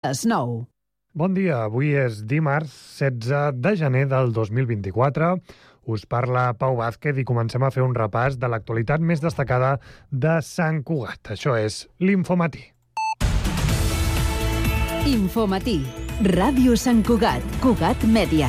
Les 9. Bon dia, avui és dimarts 16 de gener del 2024. Us parla Pau Vázquez i comencem a fer un repàs de l'actualitat més destacada de Sant Cugat. Això és l'Infomatí. Infomatí. Ràdio Sant Cugat. Cugat Mèdia.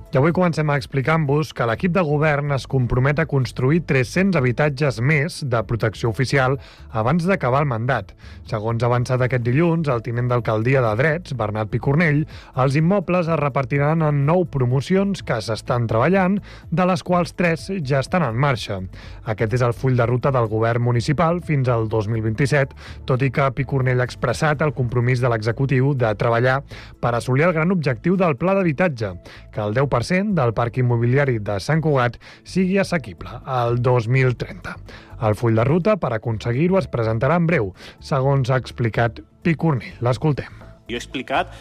I avui comencem explicant-vos que l'equip de govern es compromet a construir 300 habitatges més de protecció oficial abans d'acabar el mandat. Segons ha avançat aquest dilluns, el tinent d'alcaldia de Drets, Bernat Picornell, els immobles es repartiran en 9 promocions que s'estan treballant, de les quals 3 ja estan en marxa. Aquest és el full de ruta del govern municipal fins al 2027, tot i que Picornell ha expressat el compromís de l'executiu de treballar per assolir el gran objectiu del pla d'habitatge, que el 10% del parc immobiliari de Sant Cugat sigui assequible al 2030. El full de ruta per aconseguir-ho es presentarà en breu, segons ha explicat Picornell. L'escoltem. Jo he explicat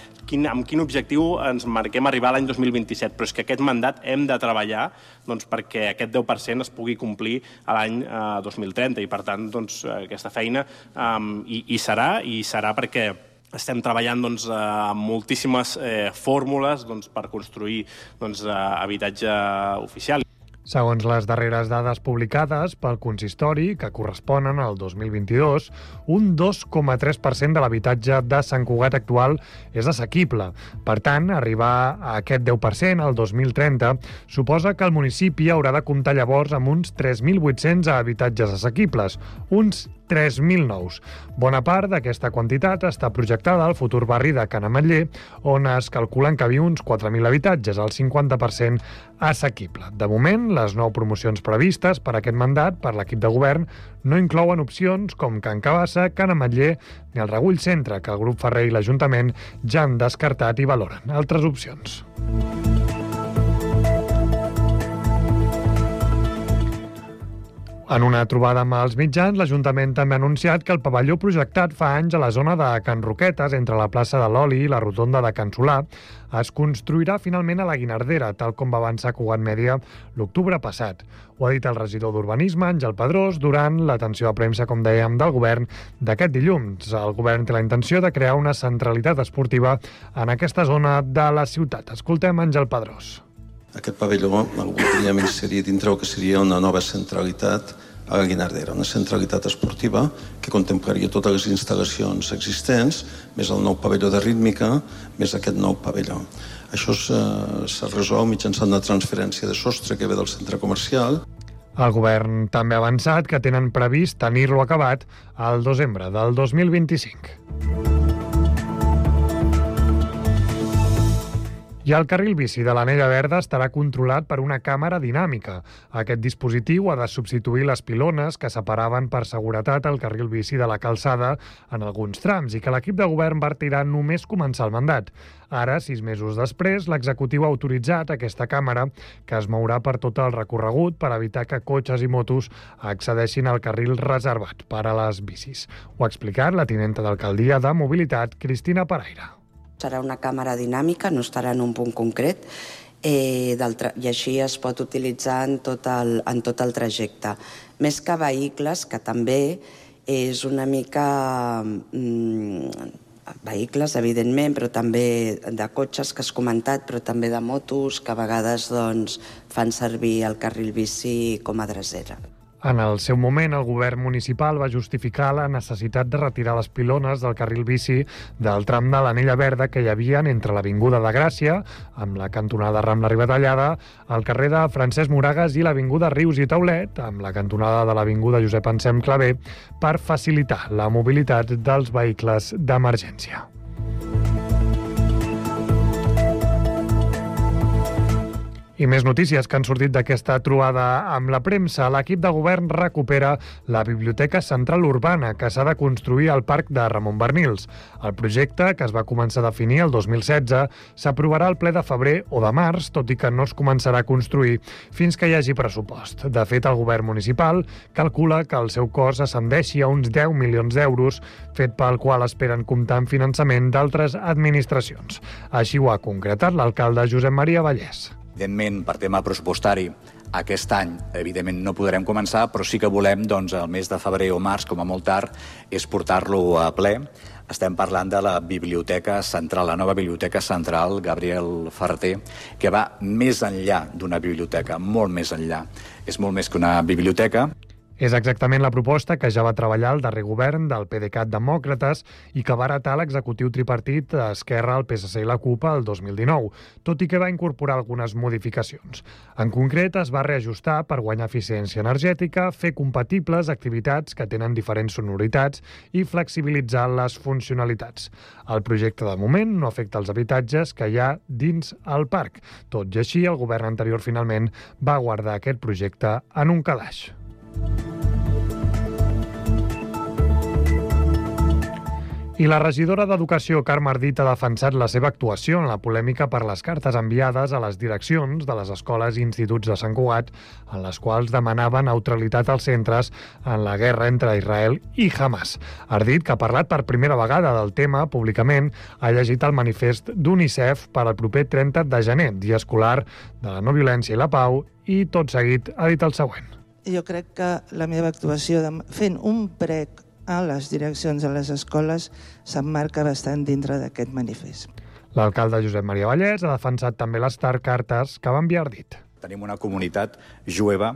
amb quin objectiu ens marquem arribar a l'any 2027, però és que aquest mandat hem de treballar perquè aquest 10% es pugui complir a l'any 2030 i, per tant, aquesta feina hi serà perquè estem treballant amb moltíssimes fórmules per construir habitatge oficial. Segons les darreres dades publicades pel consistori, que corresponen al 2022, un 2,3% de l'habitatge de Sant Cugat actual és assequible. Per tant, arribar a aquest 10% al 2030 suposa que el municipi haurà de comptar llavors amb uns 3.800 habitatges assequibles, uns 3.000 nous. Bona part d'aquesta quantitat està projectada al futur barri de Can Ametller, on es calculen que viu uns 4.000 habitatges, el 50% assequible. De moment, les 9 promocions previstes per aquest mandat per l'equip de govern no inclouen opcions com Can Cabassa, Can Ametller ni el Regull Centre, que el grup Ferrer i l'Ajuntament ja han descartat i valoren altres opcions. En una trobada amb els mitjans, l'Ajuntament també ha anunciat que el pavelló projectat fa anys a la zona de Can Roquetes, entre la plaça de l'Oli i la rotonda de Can Solà, es construirà finalment a la Guinardera, tal com va avançar Cugat Mèdia l'octubre passat. Ho ha dit el regidor d'Urbanisme, Àngel Pedrós, durant l'atenció a premsa, com dèiem, del govern d'aquest dilluns. El govern té la intenció de crear una centralitat esportiva en aquesta zona de la ciutat. Escoltem Àngel Pedrós. Aquest pavelló el voldríem inserir dintre el que seria una nova centralitat a la Guinardera, una centralitat esportiva que contemplaria totes les instal·lacions existents, més el nou pavelló de rítmica, més aquest nou pavelló. Això se resol mitjançant una transferència de sostre que ve del centre comercial. El govern també ha avançat que tenen previst tenir-lo acabat al desembre del 2025. I el carril bici de l'Anella Verda estarà controlat per una càmera dinàmica. Aquest dispositiu ha de substituir les pilones que separaven per seguretat el carril bici de la calçada en alguns trams i que l'equip de govern va retirar només començar el mandat. Ara, 6 mesos després, l'executiu ha autoritzat aquesta càmera que es mourà per tot el recorregut per evitar que cotxes i motos accedeixin al carril reservat per a les bicis. Ho ha explicat la tinenta d'alcaldia de Mobilitat, Cristina Paraire. Serà una càmera dinàmica, no estarà en un punt concret, i així es pot utilitzar en tot el trajecte. Més que vehicles, que també és una mica vehicles, evidentment, però també de cotxes, que has comentat, però també de motos, que a vegades fan servir el carril bici com a drecera. En el seu moment, el govern municipal va justificar la necessitat de retirar les pilones del carril bici del tram de l'Anella Verda que hi havia entre l'Avinguda de Gràcia, amb la cantonada Rambla Ribatallada, el carrer de Francesc Moragas i l'Avinguda Rius i Taulet, amb la cantonada de l'Avinguda Josep Anselm Clavé, per facilitar la mobilitat dels vehicles d'emergència. I més notícies que han sortit d'aquesta trobada amb la premsa. L'equip de govern recupera la Biblioteca Central Urbana, que s'ha de construir al Parc de Ramon Barnils. El projecte, que es va començar a definir el 2016, s'aprovarà al ple de febrer o de març, tot i que no es començarà a construir fins que hi hagi pressupost. De fet, el govern municipal calcula que el seu cost ascendeixi a uns 10 milions d'euros, fet pel qual esperen comptar amb finançament d'altres administracions. Així ho ha concretat l'alcalde Josep Maria Vallès. Evidentment, per tema pressupostari, aquest any, evidentment, no podrem començar, però sí que volem, doncs, el mes de febrer o març, com a molt tard, és portar-lo a ple. Estem parlant de la Biblioteca Central, la nova Biblioteca Central Gabriel Ferrater, que va més enllà d'una biblioteca, molt més enllà. És molt més que una biblioteca. És exactament la proposta que ja va treballar el darrer govern del PDeCAT Demòcrates i que va heretar l'executiu tripartit Esquerra, el PSC i la CUP el 2019, tot i que va incorporar algunes modificacions. En concret, es va reajustar per guanyar eficiència energètica, fer compatibles activitats que tenen diferents sonoritats i flexibilitzar les funcionalitats. El projecte, de moment, no afecta els habitatges que hi ha dins el parc. Tot i així, el govern anterior finalment va guardar aquest projecte en un calaix. I la regidora d'Educació, Carme Ardit, ha defensat la seva actuació en la polèmica per les cartes enviades a les direccions de les escoles i instituts de Sant Cugat, en les quals demanava neutralitat als centres en la guerra entre Israel i Hamas. Ardit, que ha parlat per primera vegada del tema públicament, ha llegit el manifest d'UNICEF per al proper 30 de gener, dia escolar de la no violència i la pau, i tot seguit ha dit el següent. Jo crec que la meva actuació fent un prec a les direccions de les escoles s'emmarca bastant dintre d'aquest manifest. L'alcalde Josep Maria Vallès ha defensat també les cartes que va enviar Ardit. Tenim una comunitat jueva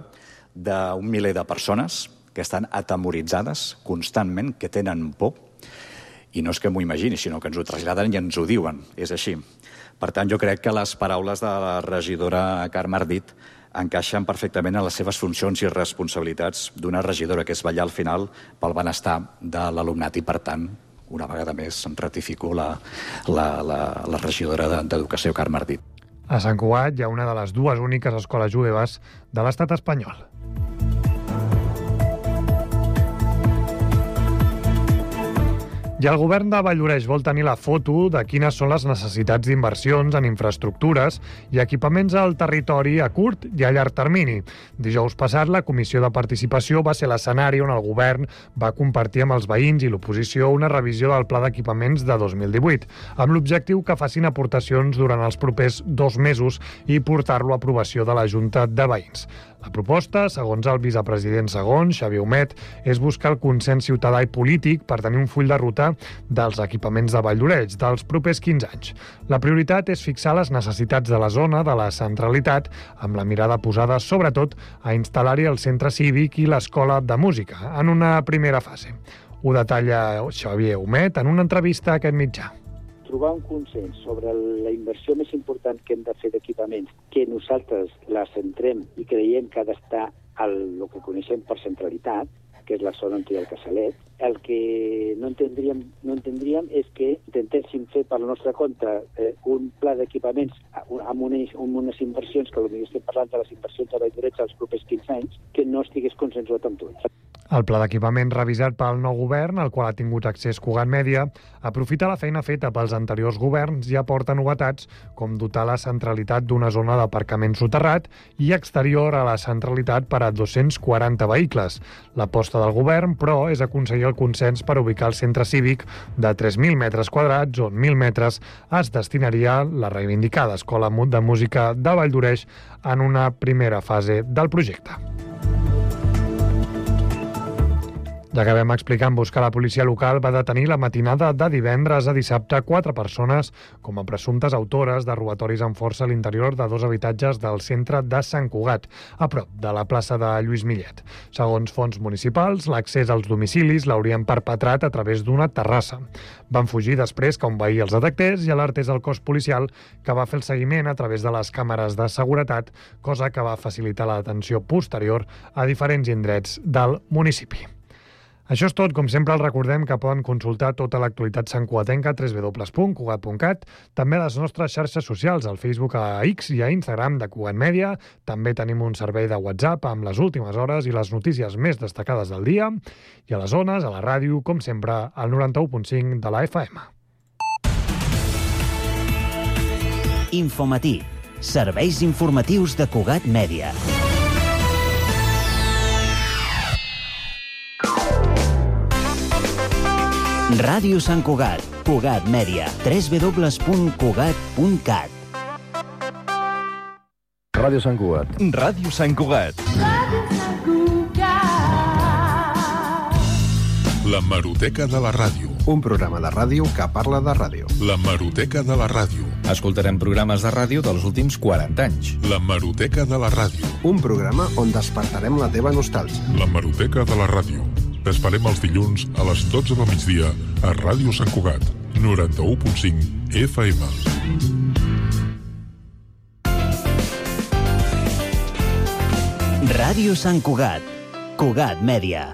d'un miler de persones que estan atemoritzades constantment, que tenen por, i no és que m'ho imagini, sinó que ens ho traslladen i ens ho diuen. És així. Per tant, jo crec que les paraules de la regidora Carme Ardit encaixen perfectament en les seves funcions i responsabilitats d'una regidora, que és vetllar al final pel benestar de l'alumnat, i per tant, una vegada més, ratifico la regidora d'Educació, Carme Ardit. A Sant Cugat hi ha una de les dues úniques escoles jueves de l'estat espanyol. I el govern de Valldoreix vol tenir la foto de quines són les necessitats d'inversions en infraestructures i equipaments al territori a curt i a llarg termini. Dijous passat, la Comissió de Participació va ser l'escenari on el govern va compartir amb els veïns i l'oposició una revisió del Pla d'Equipaments de 2018, amb l'objectiu que facin aportacions durant els propers 2 mesos i portar-lo a aprovació de la Junta de Veïns. La proposta, segons el vicepresident segon, Xavier Humet, és buscar el consens ciutadà i polític per tenir un full de ruta dels equipaments de Valldoreix dels propers 15 anys. La prioritat és fixar les necessitats de la zona de la centralitat, amb la mirada posada, sobretot, a instal·lar-hi el centre cívic i l'escola de música, en una primera fase. Ho detalla Xavier Humet en una entrevista a aquest mitjà. Trobar un consens sobre la inversió més important que hem de fer d'equipaments, que nosaltres la centrem i creiem que ha d'estar al que coneixem per centralitat, que és la zona on hi ha el Casalet. El que no entendríem és que intentéssim fer per la nostra compte un pla d'equipaments amb unes inversions, que potser estem parlant de les inversions de Valldoreix als propers 15 anys, que no estigués consensuat amb tots. El pla d'equipaments revisat pel nou govern, al qual ha tingut accés Cugat Mèdia, aprofita la feina feta pels anteriors governs i aporta novetats com dotar la centralitat d'una zona d'aparcament soterrat i exterior a la centralitat per a 240 vehicles. L'aposta del govern, però, és aconseguir el consens per ubicar el centre cívic de 3.000 metres quadrats, on 1.000 metres es destinaria a la reivindicada Escola de Música de Valldoreix en una primera fase del projecte. Ja que vam explicar-vos que la policia local va detenir la matinada de divendres a dissabte 4 persones com a presumptes autores de robatoris amb força a l'interior de 2 habitatges del centre de Sant Cugat, a prop de la plaça de Lluís Millet. Segons fonts municipals, l'accés als domicilis l'haurien perpetrat a través d'una terrassa. Van fugir després que un veí els detectés i alertés el cos policial, que va fer el seguiment a través de les càmeres de seguretat, cosa que va facilitar la detenció posterior a diferents indrets del municipi. Això és tot. Com sempre, els recordem que poden consultar tota l'actualitat santcugatenca a www.cugat.cat, també a les nostres xarxes socials, al Facebook, a X i a Instagram de Cugat Mèdia. També tenim un servei de WhatsApp amb les últimes hores i les notícies més destacades del dia. I a les zones, a la ràdio, com sempre, al 91.5 de la FM. Infomatí. Serveis informatius de Cugat Mèdia. Ràdio Sant Cugat, Cugat Mèdia, www.cugat.cat. Ràdio Sant Cugat. Ràdio Sant Cugat. La Hemeroteca de la Ràdio. Un programa de ràdio que parla de ràdio. La Hemeroteca de la Ràdio. Escoltarem programes de ràdio dels últims 40 anys. La Hemeroteca de la Ràdio. Un programa on despertarem la teva nostàlgia. La Hemeroteca de la Ràdio. T'esperem els dilluns a les 12 del migdia a Ràdio Sant Cugat, 91.5 FM. Ràdio Sant Cugat. Cugat Mèdia.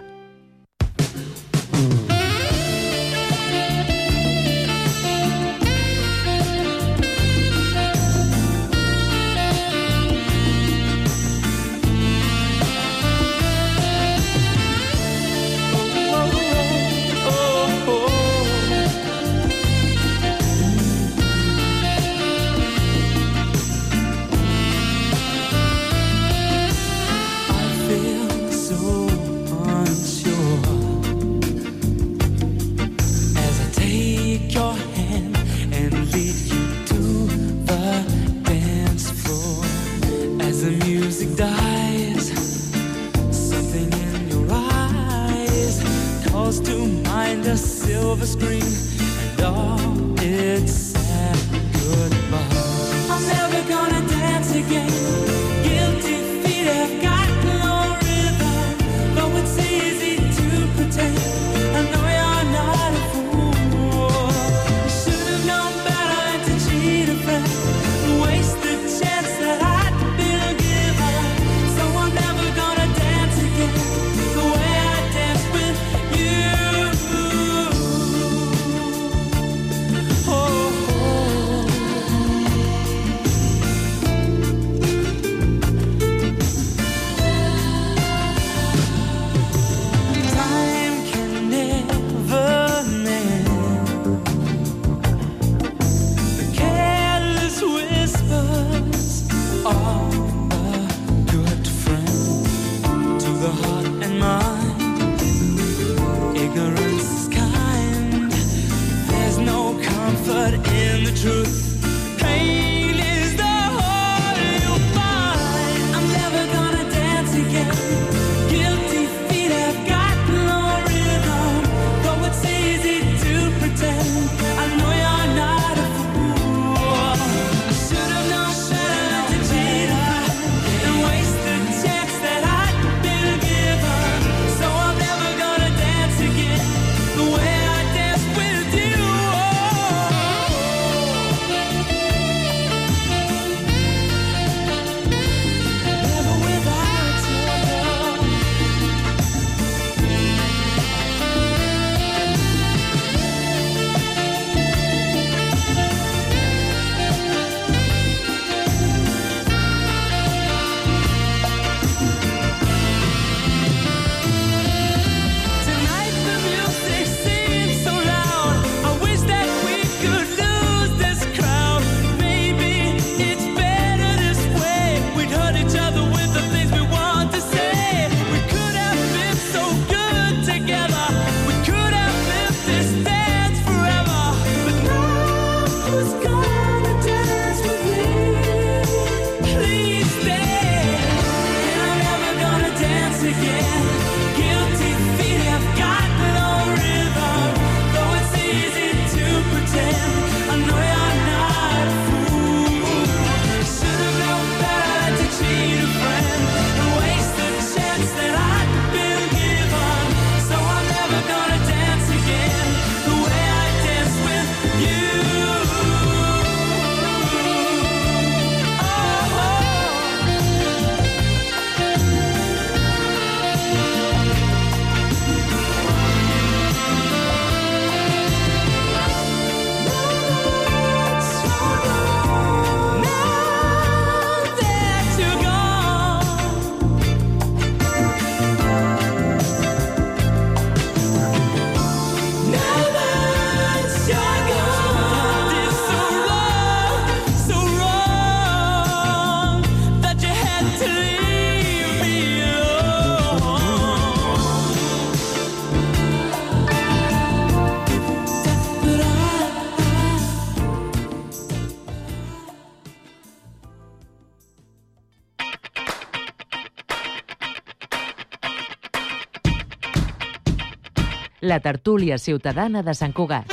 la tertúlia ciutadana de Sant Cugat.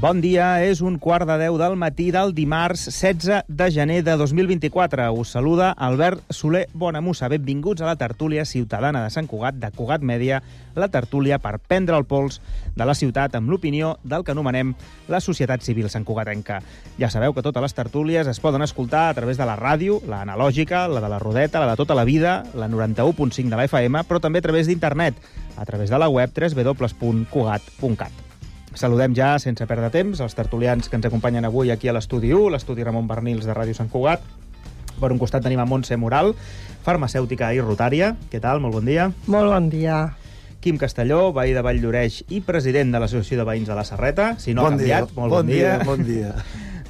Bon dia, és 9:15 del matí del dimarts 16 de gener de 2024. Us saluda Albert Soler Bonamussa. Benvinguts a la tertúlia ciutadana de Sant Cugat, de Cugat Mèdia, la tertúlia per prendre el pols de la ciutat amb l'opinió del que anomenem la societat civil santcugatenca. Ja sabeu que totes les tertúlies es poden escoltar a través de la ràdio, la analògica, la de la Rodeta, la de tota la vida, la 91.5 de la FM, però també a través d'internet, a través de la web www.cugat.cat. Saludem ja, sense perdre temps, els tertulians que ens acompanyen avui aquí a l'estudi 1, l'estudi Ramon Bernils de Ràdio Sant Cugat. Per un costat tenim a Montse Moral, farmacèutica i rotària. Què tal? Molt bon dia. Molt bon dia. Quim Castelló, veí de Valldoreix i president de l'Associació de Veïns de la Serreta. Si no ha canviat, molt bon dia. Bon dia.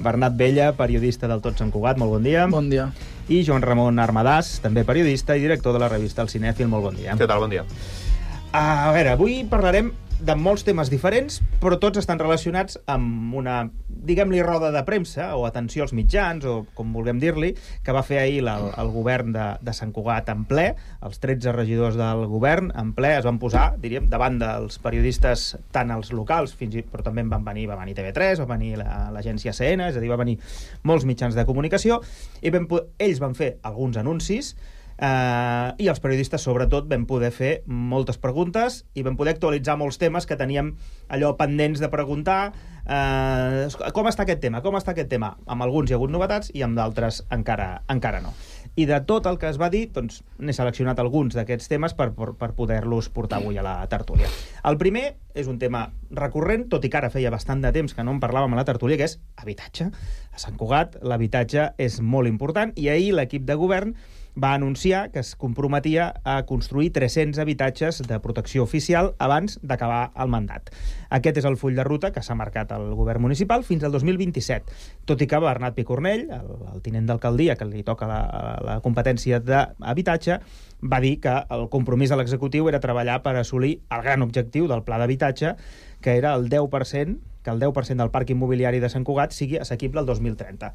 Bernat Vella, periodista del Tot Sant Cugat, molt bon dia. Bon dia. I Joan Ramon Armadàs, també periodista i director de la revista El Cinèfil, molt bon dia. Què tal? Bon dia. A veure, avui parlarem de molts temes diferents, però tots estan relacionats amb una, diguem-li, roda de premsa, o atenció als mitjans, o com vulguem dir-li, que va fer ahir el govern de Sant Cugat en ple. Els 13 regidors del govern en ple es van posar, diríem, davant dels periodistes, tant els locals, però també va venir TV3, va venir l'agència CN, és a dir, va venir molts mitjans de comunicació, i ells van fer alguns anuncis, i els periodistes sobretot vam poder fer moltes preguntes i vam poder actualitzar molts temes que teníem allò pendents de preguntar. Com està aquest tema? Amb alguns hi ha hagut novetats i amb d'altres encara no. I de tot el que es va dir, doncs, n'he seleccionat alguns d'aquests temes per poder-los portar avui a la tertúlia. El primer és un tema recurrent, tot i que ara feia bastant de temps que no en parlàvem a la tertúlia, que és habitatge. A Sant Cugat l'habitatge és molt important i ahir l'equip de govern va anunciar que es comprometia a construir 300 habitatges de protecció oficial abans d'acabar el mandat. Aquest és el full de ruta que s'ha marcat el govern municipal fins al 2027, tot i que Bernat Picornell, el tinent d'alcaldia, que li toca la competència d'habitatge, va dir que el compromís de l'executiu era treballar per assolir el gran objectiu del pla d'habitatge, que era el 10%, que el 10% del parc immobiliari de Sant Cugat sigui assequible el 2030.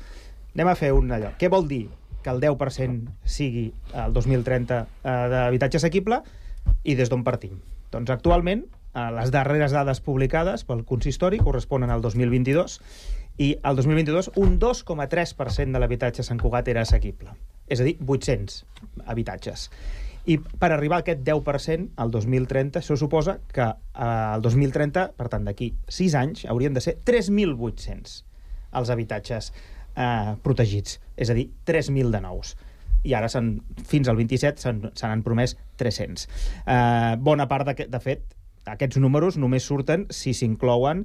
Anem a fer un allò. Què vol dir que el 10% sigui el 2030 d'habitatge assequible i des d'on partim? Doncs actualment les darreres dades publicades pel consistori corresponen al 2022 i al 2022 un 2,3% de l'habitatge a Sant Cugat era assequible, és a dir, 800 habitatges. I per arribar a aquest 10% al 2030, això suposa que al 2030, per tant d'aquí 6 anys, haurien de ser 3.800 els habitatges protegits, és a dir, 3.000 de nous. I ara, fins al 27, se n'han promès 300. Bona part, de fet, aquests números només surten si s'inclouen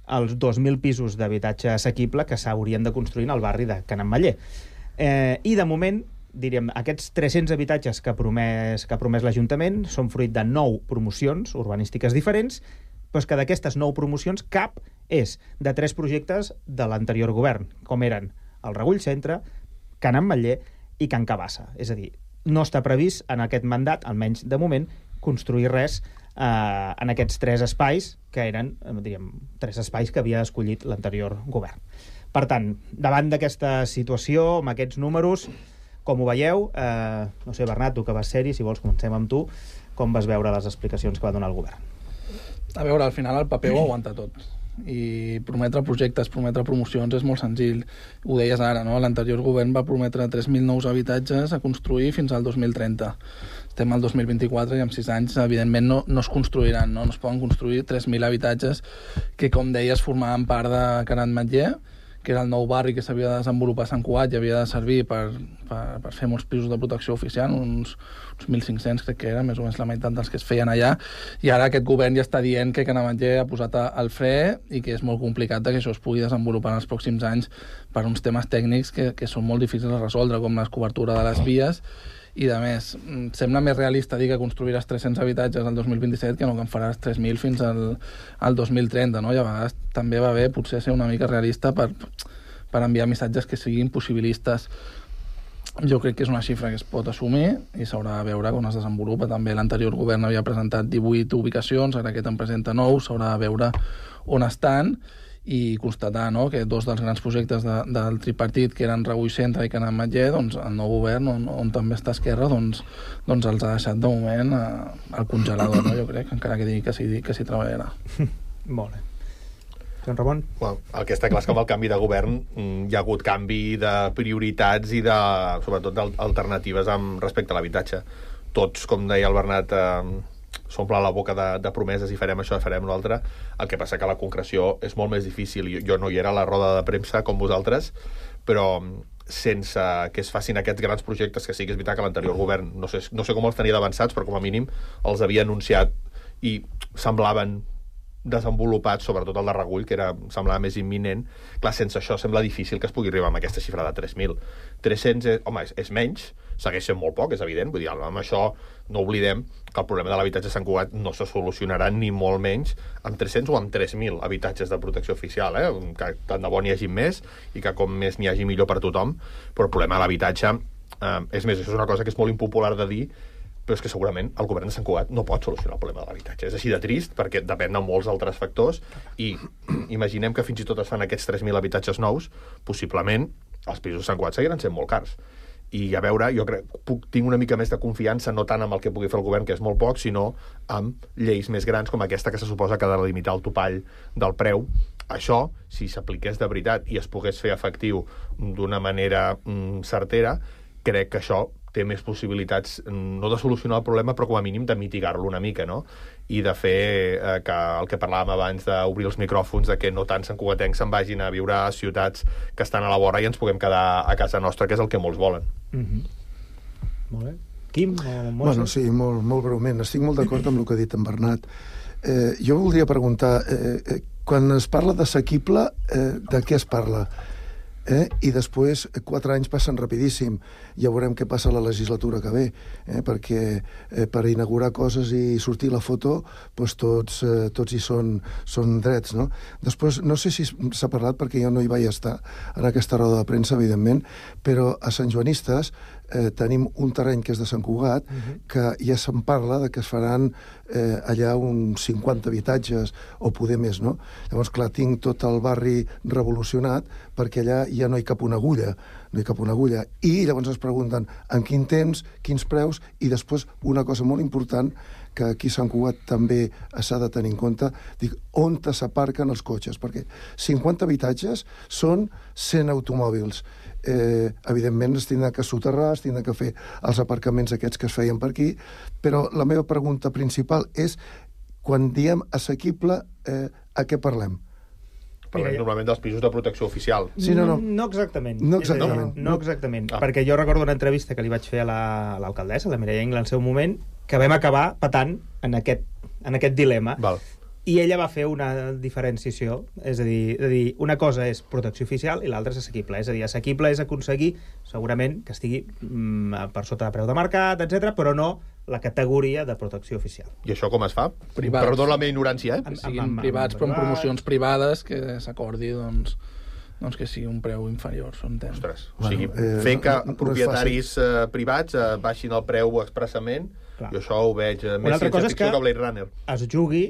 els 2.000 pisos d'habitatge assequible que s'haurien de construir al barri de Can Ametller. I, de moment, diríem, aquests 300 habitatges que ha promès l'Ajuntament són fruit de 9 promocions urbanístiques diferents, però és que d'aquestes 9 promocions cap és de 3 projectes de l'anterior govern, com eren el Regull Centre, Can Ametller i Can Cabassa. És a dir, no està previst en aquest mandat, almenys de moment, construir res en aquests 3 espais que eren, diríem, 3 espais que havia escollit l'anterior govern. Per tant, davant d'aquesta situació, amb aquests números, com ho veieu? No sé, Bernat, tu que vas ser-hi, si vols comencem amb tu, com vas veure les explicacions que va donar el govern? A veure, al final el paper ho aguanta tot. I prometre projectes, prometre promocions és molt senzill. Ho deies ara, no? L'anterior govern va prometre 3.000 nous habitatges a construir fins al 2030. Estem al 2024 i en 6 anys, evidentment, no es construiran, no es poden construir 3.000 habitatges que, com deies, formaven part de Can Ametller, que era el nou barri que s'havia de desenvolupar a Sant Cugat i havia de servir per fer molts pisos de protecció oficial, uns 1.500 crec que era, més o menys la meitat dels que es feien allà, i ara aquest govern ja està dient que Can Ametller ha posat el fre i que és molt complicat que això es pugui desenvolupar en els pròxims anys per uns temes tècnics que són molt difícils de resoldre, com la cobertura de les vies, i de més, sembla més realista dir que construiràs 300 habitatges al 2027 que no que en faràs 3.000 fins al 2030, no? I a vegades també va bé potser ser una mica realista per enviar missatges que siguin possibilistes. Jo crec que és una xifra que es pot assumir i s'haurà de veure com es desenvolupa. També l'anterior govern havia presentat 18 ubicacions, ara aquest en presenta 9, s'haurà de veure on estan i constatar, no?, que dos dels grans projectes del tripartit, que eren Rebull Centre i Can Ametller, doncs el nou govern, on també està Esquerra, doncs els ha deixat de moment al congelador, no? Jo crec, encara que digui que s'hi treballarà. Molt bé. Joan Ramon? Well, el que està clar és que amb el canvi de govern hi ha hagut canvi de prioritats i sobretot d'alternatives respecte a l'habitatge. Tots, com deia el Bernat, s'omple la boca de promeses i farem això, farem l'altre. El que passa que la concreció és molt més difícil. Jo no hi era a la roda de premsa com vosaltres, però sense que es facin aquests grans projectes, que sí que és veritat que l'anterior govern no sé com els tenia d'avançats, però com a mínim els havia anunciat i semblaven desenvolupats, sobretot el de Regull, que semblava més imminent. Clar, sense això sembla difícil que es pugui arribar amb aquesta xifra de 3.000. 300, home, és menys, segueix sent molt poc, és evident, vull dir, amb això no oblidem que el problema de l'habitatge a Sant Cugat no se solucionarà ni molt menys amb 300 o amb 3.000 habitatges de protecció oficial, que tant de bo n'hi hagi més i que com més n'hi hagi millor per tothom, però el problema de l'habitatge, és més, això és una cosa que és molt impopular de dir, però és que segurament el govern de Sant Cugat no pot solucionar el problema de l'habitatge. És així de trist, perquè depèn de molts altres factors, i imaginem que fins i tot es fan aquests 3.000 habitatges nous, possiblement els pisos de Sant Cugat seguiran sent molt cars. I a veure, jo tinc una mica més de confiança, no tant amb el que pugui fer el govern, que és molt poc, sinó amb lleis més grans com aquesta que se suposa que ha de limitar el topall del preu. Això, si s'apliqués de veritat i es pogués fer efectiu d'una manera certera, crec que això té més possibilitats, no de solucionar el problema, però com a mínim de mitigar-lo una mica, no? I de fer que el que parlàvem abans d'obrir els micròfons, de que no tant santcugatencs se'n vagin a viure a ciutats que estan a la vora i ens puguem quedar a casa nostra, que és el que molts volen. Molt bé. Quim o Montse? Bueno, sí, molt breument. Estic molt d'acord amb el que ha dit en Bernat. Jo voldria preguntar, quan es parla d'assequible, de què es parla? I després 4 anys passen rapidíssim. Ja veurem què passa a la legislatura que ve, perquè per inaugurar coses i sortir la foto doncs tots hi són drets, no? Després, no sé si s'ha parlat, perquè jo no hi vaig estar en aquesta roda de premsa, evidentment, però a Sant Joanistes tenim un terreny que és de Sant Cugat, que ja se'n parla de que es faran allà uns 50 habitatges o poder més, no? Llavors, clar, tinc tot el barri revolucionat perquè allà ja no hi cap una agulla, i llavors es pregunten en quin temps, quins preus, i després una cosa molt important que aquí a Sant Cugat també s'ha de tenir en compte, dic, on s'aparquen els cotxes, perquè 50 habitatges són 100 automòbils. Evidentment es tindrà que soterrar, es tindrà que fer els aparcaments aquests que es feien per aquí, però la meva pregunta principal és, quan diem assequible, a què parlem? Parlem normalment dels pisos de protecció oficial. Sí, no. No exactament. No exactament. No exactament. Perquè jo recordo una entrevista que li vaig fer a l'alcaldessa, la Mireia Ingla, en el seu moment, que vam acabar patant en aquest dilema. Val. I ella va fer una diferenciació, és a dir, una cosa és protecció oficial i l'altra és assequible. És a dir, assequible és aconseguir, segurament, que estigui per sota de preu de mercat, etc, però no la categoria de protecció oficial. I això com es fa? Privats. Perdó la meva ignorància, Que siguin privats, però amb promocions privades, que s'acordi, doncs que sigui un preu inferior, s'entén. Ostres, o sigui, fer que propietaris privats baixin el preu expressament, jo això ho veig més ciència-ficció que Blade Runner. Es jugui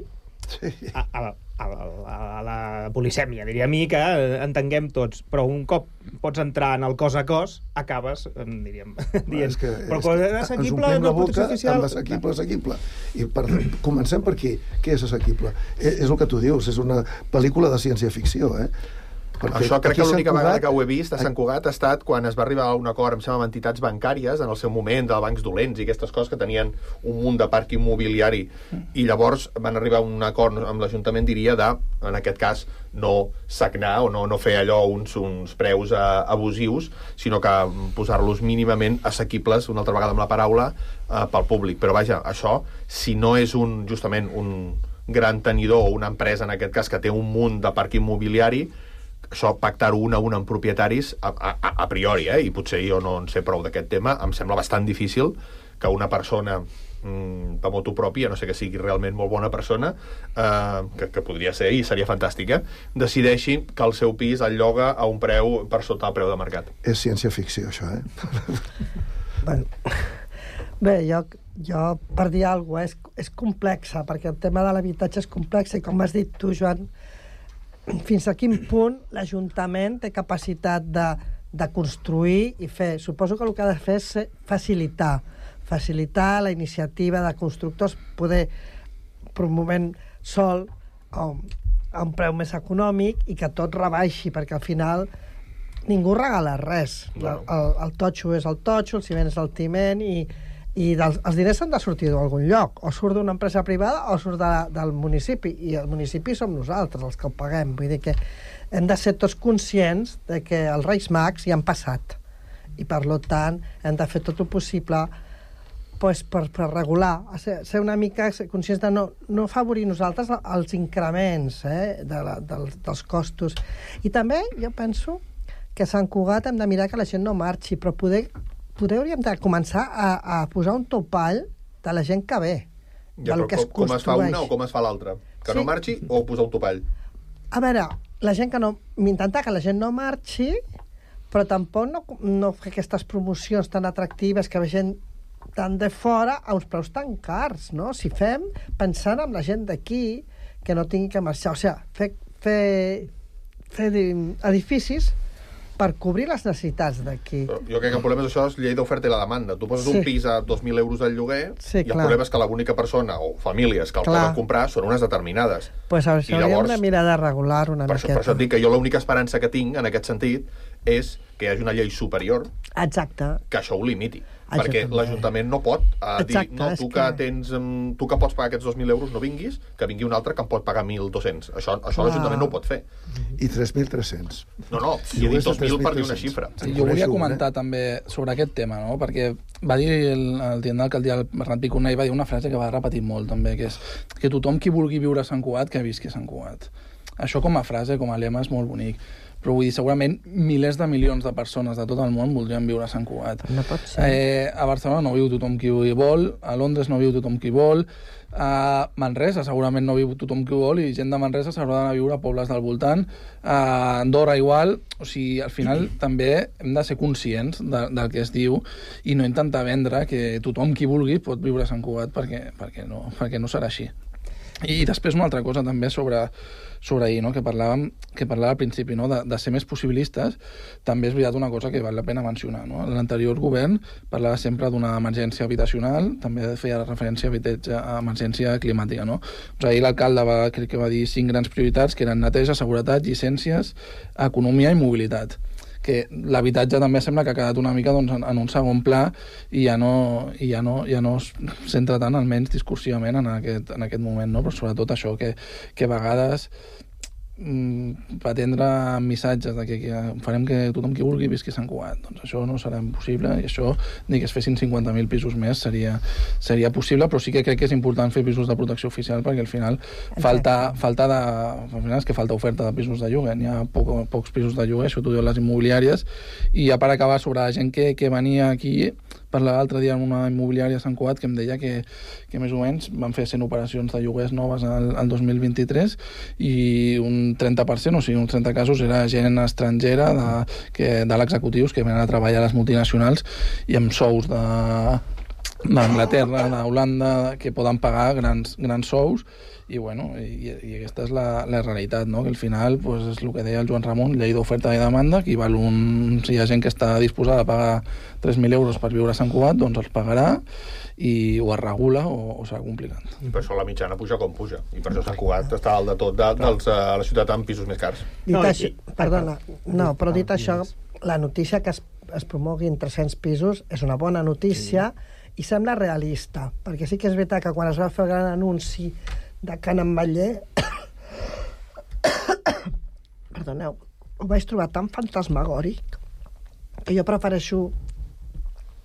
a la polisèmia, diria a mi, que entenguem tots, però un cop pots entrar en el cos a cos, acabes, diríem, dient, però quan és assequible, no protecció oficial... Assequible. I comencem per aquí. Què és assequible? És el que tu dius, és una pel·lícula de ciència-ficció, Perquè això crec que l'única vegada que ho he vist a Sant Cugat ha estat quan es va arribar a un acord amb entitats bancàries en el seu moment, de bancs dolents i aquestes coses que tenien un munt de parc immobiliari, i llavors van arribar a un acord amb l'Ajuntament, diria, de, en aquest cas, no sagnar o no fer allò uns preus abusius, sinó que posar-los mínimament assequibles, una altra vegada amb la paraula, pel públic. Però vaja, això, si no és justament un gran tenidor o una empresa, en aquest cas, que té un munt de parc immobiliari, això, pactar-ho un a un amb propietaris a priori, i potser jo no en sé prou d'aquest tema, em sembla bastant difícil que una persona per motu propi, a no sé que sigui realment molt bona persona, que podria ser i seria fantàstic, decideixi que el seu pis el lloga a un preu per sota el preu de mercat. És ciència-ficció, això, Bé, jo per dir alguna cosa, és complexa, perquè el tema de l'habitatge és complex, i com has dit tu, Joan, fins a quin punt l'Ajuntament té capacitat de construir i fer. Suposo que el que ha de fer és facilitar la iniciativa de constructors, poder promovent sol a un preu més econòmic i que tot rebaixi, perquè al final ningú regala res. El totxo és el totxo, el ciment és el ciment i els diners han de sortir d'algun lloc. O surt d'una empresa privada o surt del municipi. I el municipi som nosaltres, els que ho paguem. Vull dir que hem de ser tots conscients de que els Reis Mags ja han passat. I, per tant, hem de fer tot el possible per regular, ser una mica conscients de no afavorir nosaltres els increments dels costos. I també jo penso que a Sant Cugat hem de mirar que la gent no marxi, però poder hauríem de començar a posar un topall de la gent que ve, del que es construeix. Com es fa una o com es fa l'altra? Que no marxi o posar un topall? A veure, la gent que no... Intentar que la gent no marxi, però tampoc no fer aquestes promocions tan atractives que ve gent tant de fora a uns preus tan cars, no? Si fem pensant en la gent d'aquí que no tingui que marxar. O sigui, fer edificis per cobrir les necessitats d'aquí. Jo crec que el problema és això, és llei d'oferta i la demanda. Tu poses un pis a 2.000 euros del lloguer i el problema és que l'única persona o famílies que el poden comprar són unes determinades. Doncs això hauríem de mirar de regular una miqueta. Per això et dic que jo l'única esperança que tinc en aquest sentit és que hi hagi una llei superior que això ho limiti. Perquè l'Ajuntament no pot dir, no, tu que pots pagar aquests 2.000 euros no vinguis, que vingui un altre que em pot pagar 1.200. Això l'Ajuntament no ho pot fer. I 3.300. No, si he dit 2.000 per dir una xifra. Jo volia comentar també sobre aquest tema, no? Perquè va dir el tinent d'alcaldia, el Bernat Picornell, va dir una frase que va repetir molt també, que és que tothom qui vulgui viure a Sant Cugat, que visqui a Sant Cugat. Això com a frase, com a lema, és molt bonic. Però vull dir, segurament milers de milions de persones de tot el món voldrien viure a Sant Cugat. No pot ser. A Barcelona no viu tothom qui vol, a Londres no viu tothom qui vol, a Manresa segurament no viu tothom qui vol i gent de Manresa s'haurà d'anar a viure a pobles del voltant, a Andorra igual. O sigui, al final també hem de ser conscients del que es diu i no intentar vendre que tothom qui vulgui pot viure a Sant Cugat perquè no serà així. I després una altra cosa també sobre ahir, no? que parlava al principi, no? de ser més possibilistes. També és veritat una cosa que val la pena mencionar, no? L'anterior govern parlava sempre d'una emergència habitacional, també feia referència a emergència climàtica, no? Doncs ahir l'alcalde crec que va dir 5 grans prioritats, que eren neteja, seguretat, llicències, economia i mobilitat. Que l'habitatge també sembla que ha quedat una mica en un segon pla i ja no es centra tant, almenys discursivament, en aquest moment, no? Però sobretot això, que a vegades pretendre missatges de que farem que tothom qui vulgui visqui a Sant Cugat, doncs això no serà possible, i això, ni que es fessin 50.000 pisos més seria possible, però sí que crec que és important fer pisos de protecció oficial, perquè al final falta oferta de pisos de lloguer, n'hi ha pocs pisos de lloguer, això t'ho diuen les immobiliàries. I ja per acabar, sobre la gent que venia aquí, parlava l'altre dia en una immobiliària a Sant Cugat que em deia que més o menys van fer 100 operacions de lloguers noves al 2023 i un 30%, o sigui, uns 30 casos, era gent estrangera de l'executius que venen a treballar a les multinacionals i amb sous d'Anglaterra, d'Holanda, que poden pagar grans sous. I aquesta és la realitat, no? Que al final és el que deia el Joan Ramon, llei d'oferta i demanda, si hi ha gent que està disposada a pagar 3.000 euros per viure a Sant Cugat, doncs els pagarà i o es regula o serà complicat. I per això la mitjana puja com puja, i per això Sant Cugat està dalt de tot a la ciutat amb pisos més cars. Però dit això, la notícia que es promoguin 300 pisos és una bona notícia i sembla realista, perquè sí que és veritat que quan es va fer el gran anunci de Can Ametller perdoneu, ho vaig trobar tan fantasmagòric que jo prefereixo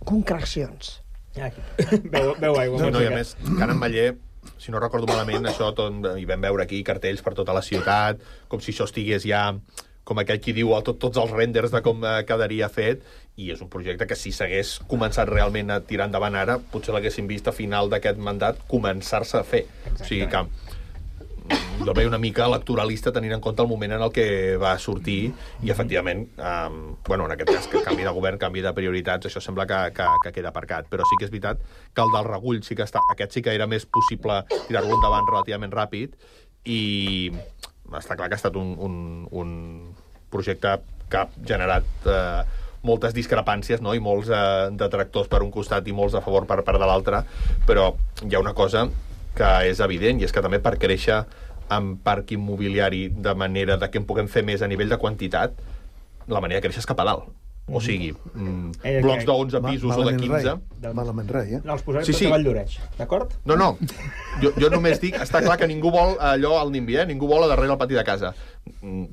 concrecions. Veu aigua. I a més, Can Ametller, si no recordo malament, això hi vam veure aquí cartells per tota la ciutat, com si això estigués ja com aquell qui diu tots els renders de com quedaria fet, i és un projecte que si s'hagués començat realment a tirar endavant ara, potser l'haguéssim vist a final d'aquest mandat començar-se a fer. Exacte. O sigui que jo veig una mica electoralista tenint en compte el moment en el que va sortir i efectivament, en aquest cas, que canvi de govern, canvi de prioritats, això sembla que queda aparcat, però sí que és veritat que el del Regull aquest sí que era més possible tirar-lo endavant relativament ràpid i està clar que ha estat un projecte que ha generat moltes discrepàncies, no? I molts detractors per un costat i molts a favor per part de l'altre, però hi ha una cosa que és evident, i és que també per créixer en parc immobiliari de manera que en puguem fer més a nivell de quantitat, la manera de créixer és cap a dalt. O sigui, blocs de 11 pisos o de 15... Malament rai, No, els posarem tot a Valldoreix, d'acord? No. Jo només dic, està clar que ningú vol allò al NIMBY, ningú vol a darrere el pati de casa.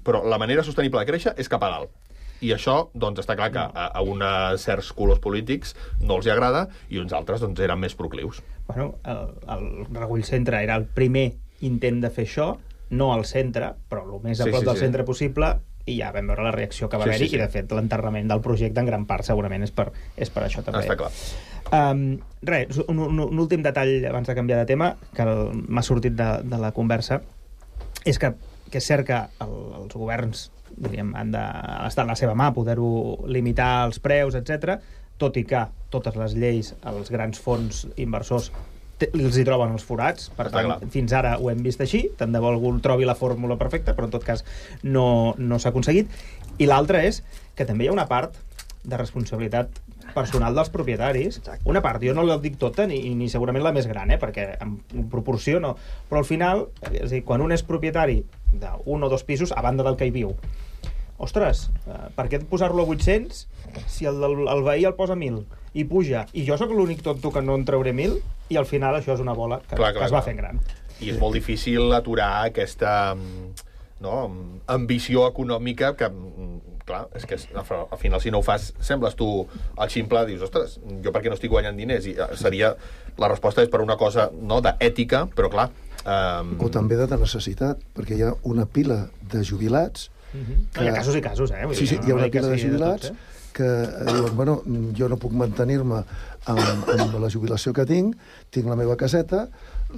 Però la manera sostenible de créixer és cap a dalt. I això, doncs, està clar que a uns certs colors polítics no els hi agrada i uns altres, doncs, eren més proclius. Bueno, el Regull Centre era el primer intent de fer això, no al centre, però el més a prop del centre possible, i ja vam veure la reacció que va haver-hi, i de fet l'enterrament del projecte en gran part segurament és per això també. Està clar. Res, un últim detall abans de canviar de tema, que m'ha sortit de la conversa, és que és cert que els governs, diríem, han d'estar en la seva mà, poder-ho limitar els preus, etc. Tot i que totes les lleis, els grans fons inversors els hi troben els forats, per tant, fins ara ho hem vist així, tant de bo algú trobi la fórmula perfecta, però en tot cas no s'ha aconseguit. I l'altra és que també hi ha una part de responsabilitat personal dels propietaris. Una part, jo no la dic tota, ni segurament la més gran, perquè en proporció no, però al final, és a dir, quan un és propietari d'un o dos pisos, a banda del que hi viu, ostres, per què posar-lo a 800 si el veí el posa 1.000 i puja, i jo sóc l'únic tonto que no en trauré 1.000, i al final això és una bola que es va fent gran. I és molt difícil aturar aquesta ambició econòmica que, clar, és que al final si no ho fas, sembles tu el ximple, dius, ostres, jo per què no estic guanyant diners? I la resposta és per una cosa d'ètica, però clar... O també de necessitat, perquè hi ha una pila de jubilats... Hi ha casos i casos, Sí, hi ha una pila de jubilats que diuen, bueno, jo no puc mantenir-me amb la jubilació que tinc la meva caseta,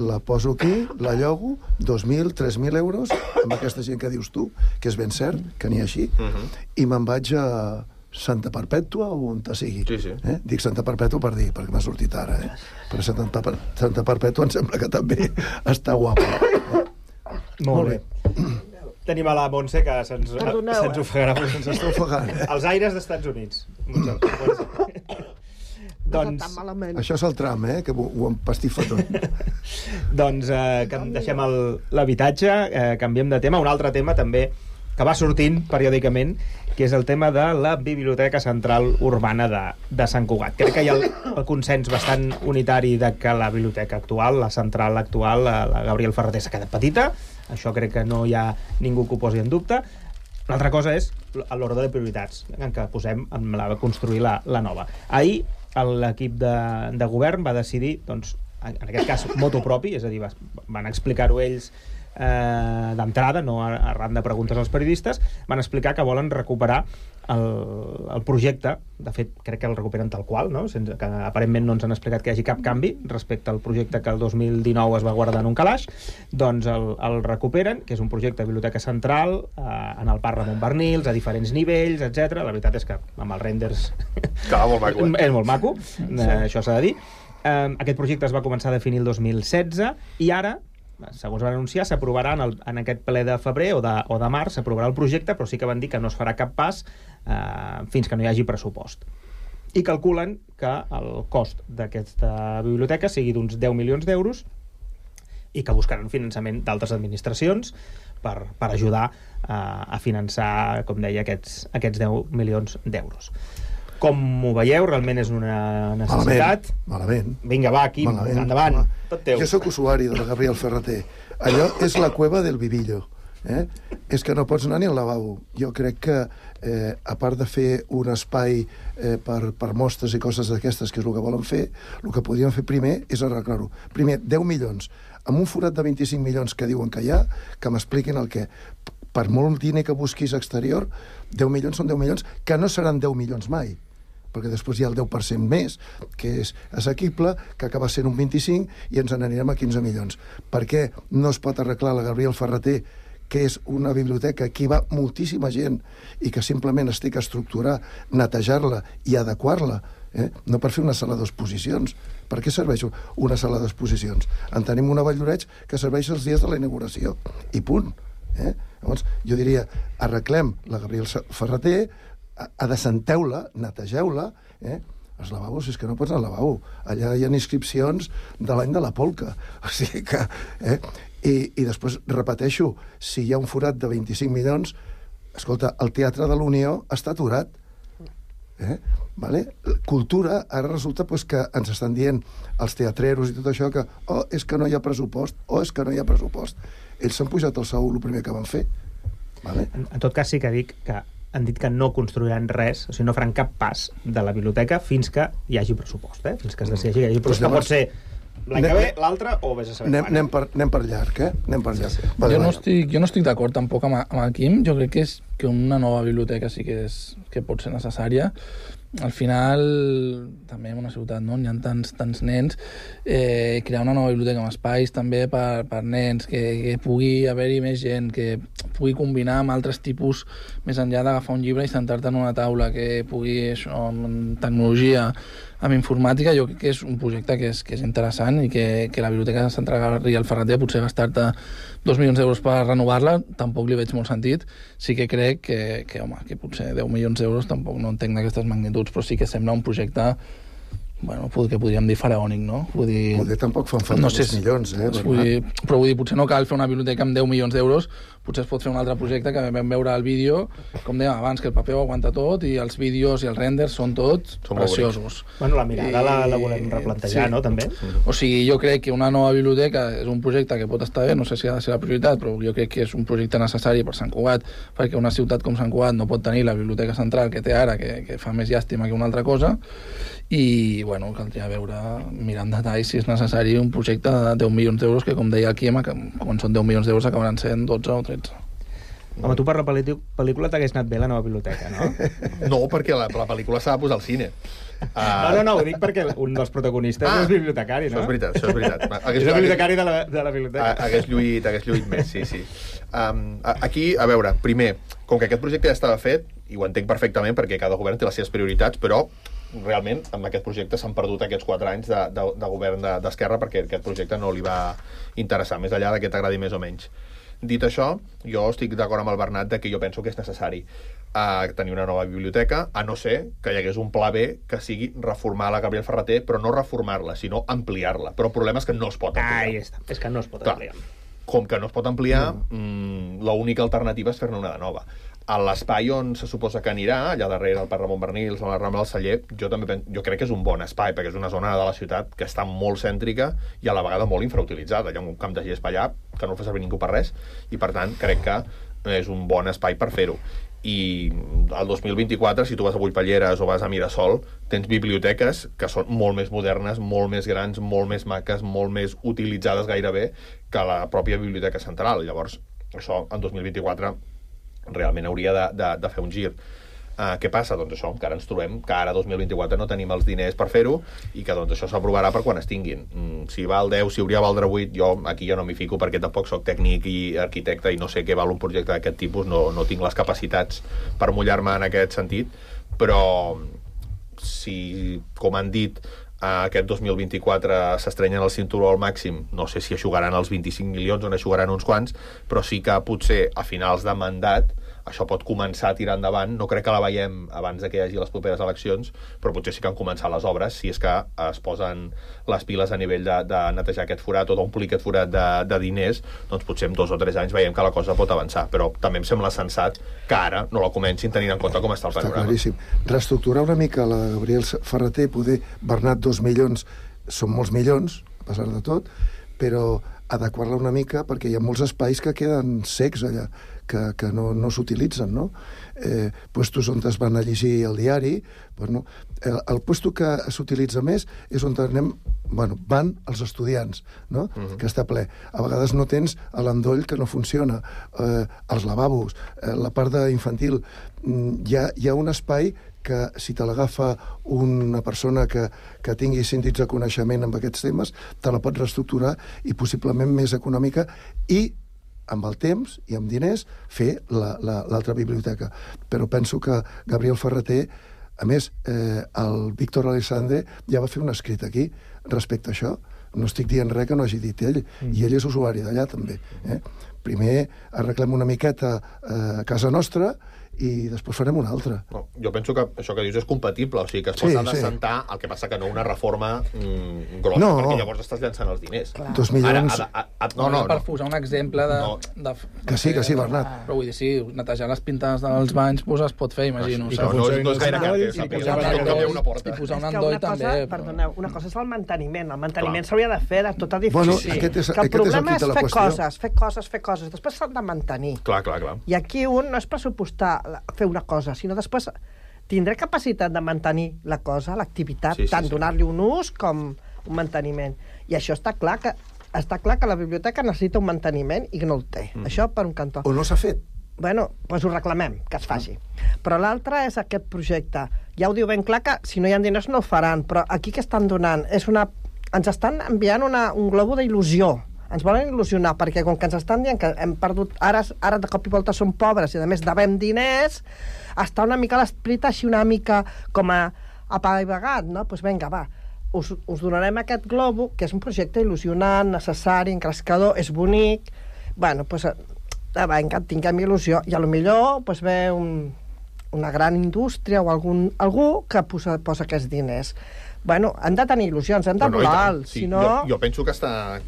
la poso aquí, la llogo, 2.000, 3.000 euros, amb aquesta gent que dius tu, que és ben cert, que n'hi ha així, i me'n vaig a Santa Perpètua o on te sigui. Dic Santa Perpètua per dir, perquè m'ha sortit ara, però Santa Perpètua em sembla que també està guapa. Molt bé. Tenim a la Montse, que se'ns ofegarà. Se'ns està ofegant. Els aires d'Estats Units. Doncs... Això és el tram, que ho empastifa tot. Doncs deixem l'habitatge, canviem de tema. Un altre tema també que va sortint periòdicament, que és el tema de la Biblioteca Central Urbana de Sant Cugat. Crec que hi ha el consens bastant unitari de que la biblioteca actual, la central actual, la Gabriel Ferrater, s'ha quedat petita. Això crec que no hi ha ningú que ho posi en dubte. L'altra cosa és l'ordre de prioritats en què posem a construir la nova. Ahir l'equip de govern va decidir, doncs, en aquest cas, motu propi, és a dir, van explicar-ho ells d'entrada, no arran de preguntes als periodistes, van explicar que volen recuperar el projecte. De fet, crec que el recuperen tal qual, no? Sense que aparentment no ens han explicat que hi hagi cap canvi respecte al projecte que el 2019 es va guardar en un calaix. Doncs el recuperen, que és un projecte de biblioteca central en el Parc Ramon Barnils, a diferents nivells, etc. La veritat és que amb els renders és molt maco, això s'ha de dir. Aquest projecte es va començar a definir el 2016 i ara, segons van anunciar, s'aprovarà en aquest ple de febrer o de març, s'aprovarà el projecte, però sí que van dir que no es farà cap pas fins que no hi hagi pressupost. I calculen que el cost d'aquesta biblioteca sigui d'uns 10 milions d'euros i que buscaran finançament d'altres administracions per ajudar a finançar, com deia, aquests 10 milions d'euros. Com ho veieu? Realment és una necessitat? Malament. Vinga, va, aquí, endavant. Tot teu. Jo sóc usuari de la Gabriel Ferrater. Allò és la cueva del Vivillo. És que no pots anar ni al lavabo. Jo crec que, a part de fer un espai per mostres i coses d'aquestes, que és el que volen fer, el que podrien fer primer és arreglar-ho. Primer, 10 milions. Amb un forat de 25 milions que diuen que hi ha, que m'expliquin el què. Per molt diner que busquis exterior, 10 milions són 10 milions, que no seran 10 milions mai, perquè després hi ha el 10% més, que és assequible, que acaba sent un 25, i ens n'anirem a 15 milions. Per què no es pot arreglar la Gabriel Ferrater, que és una biblioteca que hi va moltíssima gent i que simplement es té que estructurar, netejar-la i adequar-la, no per fer una sala d'exposicions. Per què serveix una sala d'exposicions? En tenim una a Valldoreix que serveix els dies de la inauguració, i punt. Llavors, jo diria, arreglem la Gabriel Ferrater, adecenteu-la, netegeu-la, els lavabos, és que no pots anar al lavabo. Allà hi ha inscripcions de l'any de la polca. O sigui que... I després, repeteixo, si hi ha un forat de 25 milions, escolta, el Teatre de l'Unió està aturat. Vale? Cultura, ara resulta que ens estan dient els teatreros i tot això que és que no hi ha pressupost, és que no hi ha pressupost. Ells s'han pujat el sou el primer que van fer. Vale? En tot cas, sí que dic que han dit que no construiran res, o sigui, no faran cap pas de la biblioteca fins que hi hagi pressupost, fins que es decideixi que hi hagi pressupost. Pot ser l'any que ve, l'altre, o vés a saber. Anem per llarg, Anem per llarg. Jo no estic d'acord tampoc amb el Quim. Jo crec que una nova biblioteca sí que pot ser necessària. Al final, també en una ciutat on hi ha tants nens, crear una nova biblioteca amb espais també per nens, que pugui haver-hi més gent, que pugui combinar amb altres tipus, més enllà d'agafar un llibre i sentar-te en una taula, que pugui, això, amb tecnologia, amb informàtica. Jo crec que és un projecte que és interessant i que la Biblioteca Central Gabriel Ferrater, potser gastar-te 2 milions d'euros per renovar-la, tampoc li veig molt sentit. Sí que crec que potser 10 milions d'euros tampoc no entenc d'aquestes magnituds, però sí que sembla un projecte, que podríem dir faraònic, no? Poder tampoc fan falta 2 milions, però vull dir, potser no cal fer una biblioteca amb 10 milions d'euros, potser es pot fer un altre projecte que vam veure al vídeo, com dèiem abans, que el paper ho aguanta tot i els vídeos i els renders són tots preciosos. Bueno, la mirada la volem replantejar, no, també? O sigui, jo crec que una nova biblioteca és un projecte que pot estar bé, no sé si ha de ser la prioritat, però jo crec que és un projecte necessari per Sant Cugat, perquè una ciutat com Sant Cugat no pot tenir la biblioteca central que té ara, que fa més llàstima que una altra cosa, i, caldria veure, mirar en detall si és necessari un projecte de 10 milions d'euros que, com deia aquí, quan són 10 milions d'euros acabaran sent 12 o 13. Home, tu per la pel·lícula t'hagués anat bé la nova biblioteca, no? No, perquè la pel·lícula s'ha de posar al cine. No, ho dic perquè un dels protagonistes és bibliotecari, no? Això és veritat. És el bibliotecari de la biblioteca. Hagués lluït més, sí. Aquí, a veure, primer, com que aquest projecte ja estava fet, i ho entenc perfectament perquè cada govern té les seves prioritats, però realment amb aquest projecte s'han perdut aquests 4 anys de govern d'Esquerra perquè aquest projecte no li va interessar, més enllà que t'agradi més o menys. Dit això, jo estic d'acord amb el Bernat que jo penso que és necessari tenir una nova biblioteca, a no ser que hi hagués un pla B que sigui reformar la Gabriel Ferrater, però no reformar-la, sinó ampliar-la. Però el problema és que no es pot ampliar. És que no es pot ampliar. Com que no es pot ampliar, l'única alternativa és fer-ne una de nova. A l'espai on se suposa que anirà, allà darrere, al Parc Ramon Bernils, a la Rambla del Celler, jo crec que és un bon espai, perquè és una zona de la ciutat que està molt cèntrica i a la vegada molt infrautilitzada. Hi ha un camp de gespa allà que no fa servir ningú per res, i per tant crec que és un bon espai per fer-ho. I el 2024, si tu vas a Bullpalleres o vas a Mirasol, tens biblioteques que són molt més modernes, molt més grans, molt més maques, molt més utilitzades gairebé que la pròpia Biblioteca Central. Llavors, això en 2024 realment hauria de fer un gir. Què passa? Doncs això, que ara ens trobem que ara 2024 no tenim els diners per fer-ho i que doncs això s'aprovarà per quan es tinguin. Si val 10, si hauria de valdre 8, jo aquí ja no m'hi fico perquè tampoc soc tècnic i arquitecte i no sé què val un projecte d'aquest tipus, no tinc les capacitats per mullar-me en aquest sentit, però si, com han dit, aquest 2024 s'estrenyen el cinturó al màxim, no sé si eixugaran els 25 milions o n'eixugaran uns quants, però sí que potser a finals de mandat això pot començar a tirar endavant. No crec que la veiem abans que hi hagi les properes eleccions, però potser sí que han començat les obres, si és que es posen les piles a nivell de netejar aquest forat o d'omplir aquest forat de diners, doncs potser en 2 o 3 anys veiem que la cosa pot avançar, però també em sembla sensat que ara no la comencin tenint en compte com està el panorama. Està claríssim. Reestructurar una mica la Gabriel Ferrater, poder Bernat 2 milions, són molts milions, a pesar de tot, però adequar-la una mica perquè hi ha molts espais que queden secs allà, que no s'utilitzen, no? Puestos on es van a llegir el diari, bueno, el puesto que s'utilitza més és on van els estudiants, no? Que està ple. A vegades no tens l'endoll que no funciona, els lavabos, la part d'infantil. Hi ha un espai que si te l'agafa una persona que tingui síndits de coneixement amb aquests temes, te la pot reestructurar i possiblement més econòmica i amb el temps i amb diners fer l'altra biblioteca. Però penso que Gabriel Ferrater, a més, el Víctor Alexandre ja va fer un escrit aquí respecte a això. No estic dient res que no hagi dit ell, i ell és usuari d'allà també. primer arreglem una miqueta a casa nostra i després farem una altra. No, jo penso que això que dius és compatible, o sigui que es pot assentar, el que passa que no una reforma grossa, perquè llavors estàs llançant els diners. 2 milions... No. Per posar un exemple de... Que sí, Bernat. Però vull dir, sí, netejar les pintades dels banys es pot fer, imagino. No és gaire car, i posar un endoll també. Perdoneu, una cosa és el manteniment. El manteniment s'hauria de fer de tot edifici. Que el problema és fer coses. Després s'han de mantenir. Clar. I aquí un no és pressupostar fer una cosa, sinó després tindré capacitat de mantenir la cosa, l'activitat, tant donar-li un ús com un manteniment. I això està clar que la biblioteca necessita un manteniment i que no el té. Això per un cantó. O no s'ha fet. Bueno, doncs ho reclamem, que es faci. Però l'altre és aquest projecte. Ja ho diu ben clar que si no hi ha diners no ho faran, però aquí què estan donant? Ens estan enviant un globo d'il·lusió. Ens volen il·lusionar, perquè com que ens estan dient que hem perdut, ara de cop i volta som pobres i a més devem diners, està una mica l'esperit així una mica com a apaivagat, no? Doncs vinga, va, us donarem aquest globo, que és un projecte il·lusionant, necessari, encrescador, és bonic, bueno, doncs vinga, tinguem il·lusió, i potser ve una gran indústria o algú que posa aquests diners. Bueno, han de tenir il·lusions, han de volar alt, si no... Jo penso que està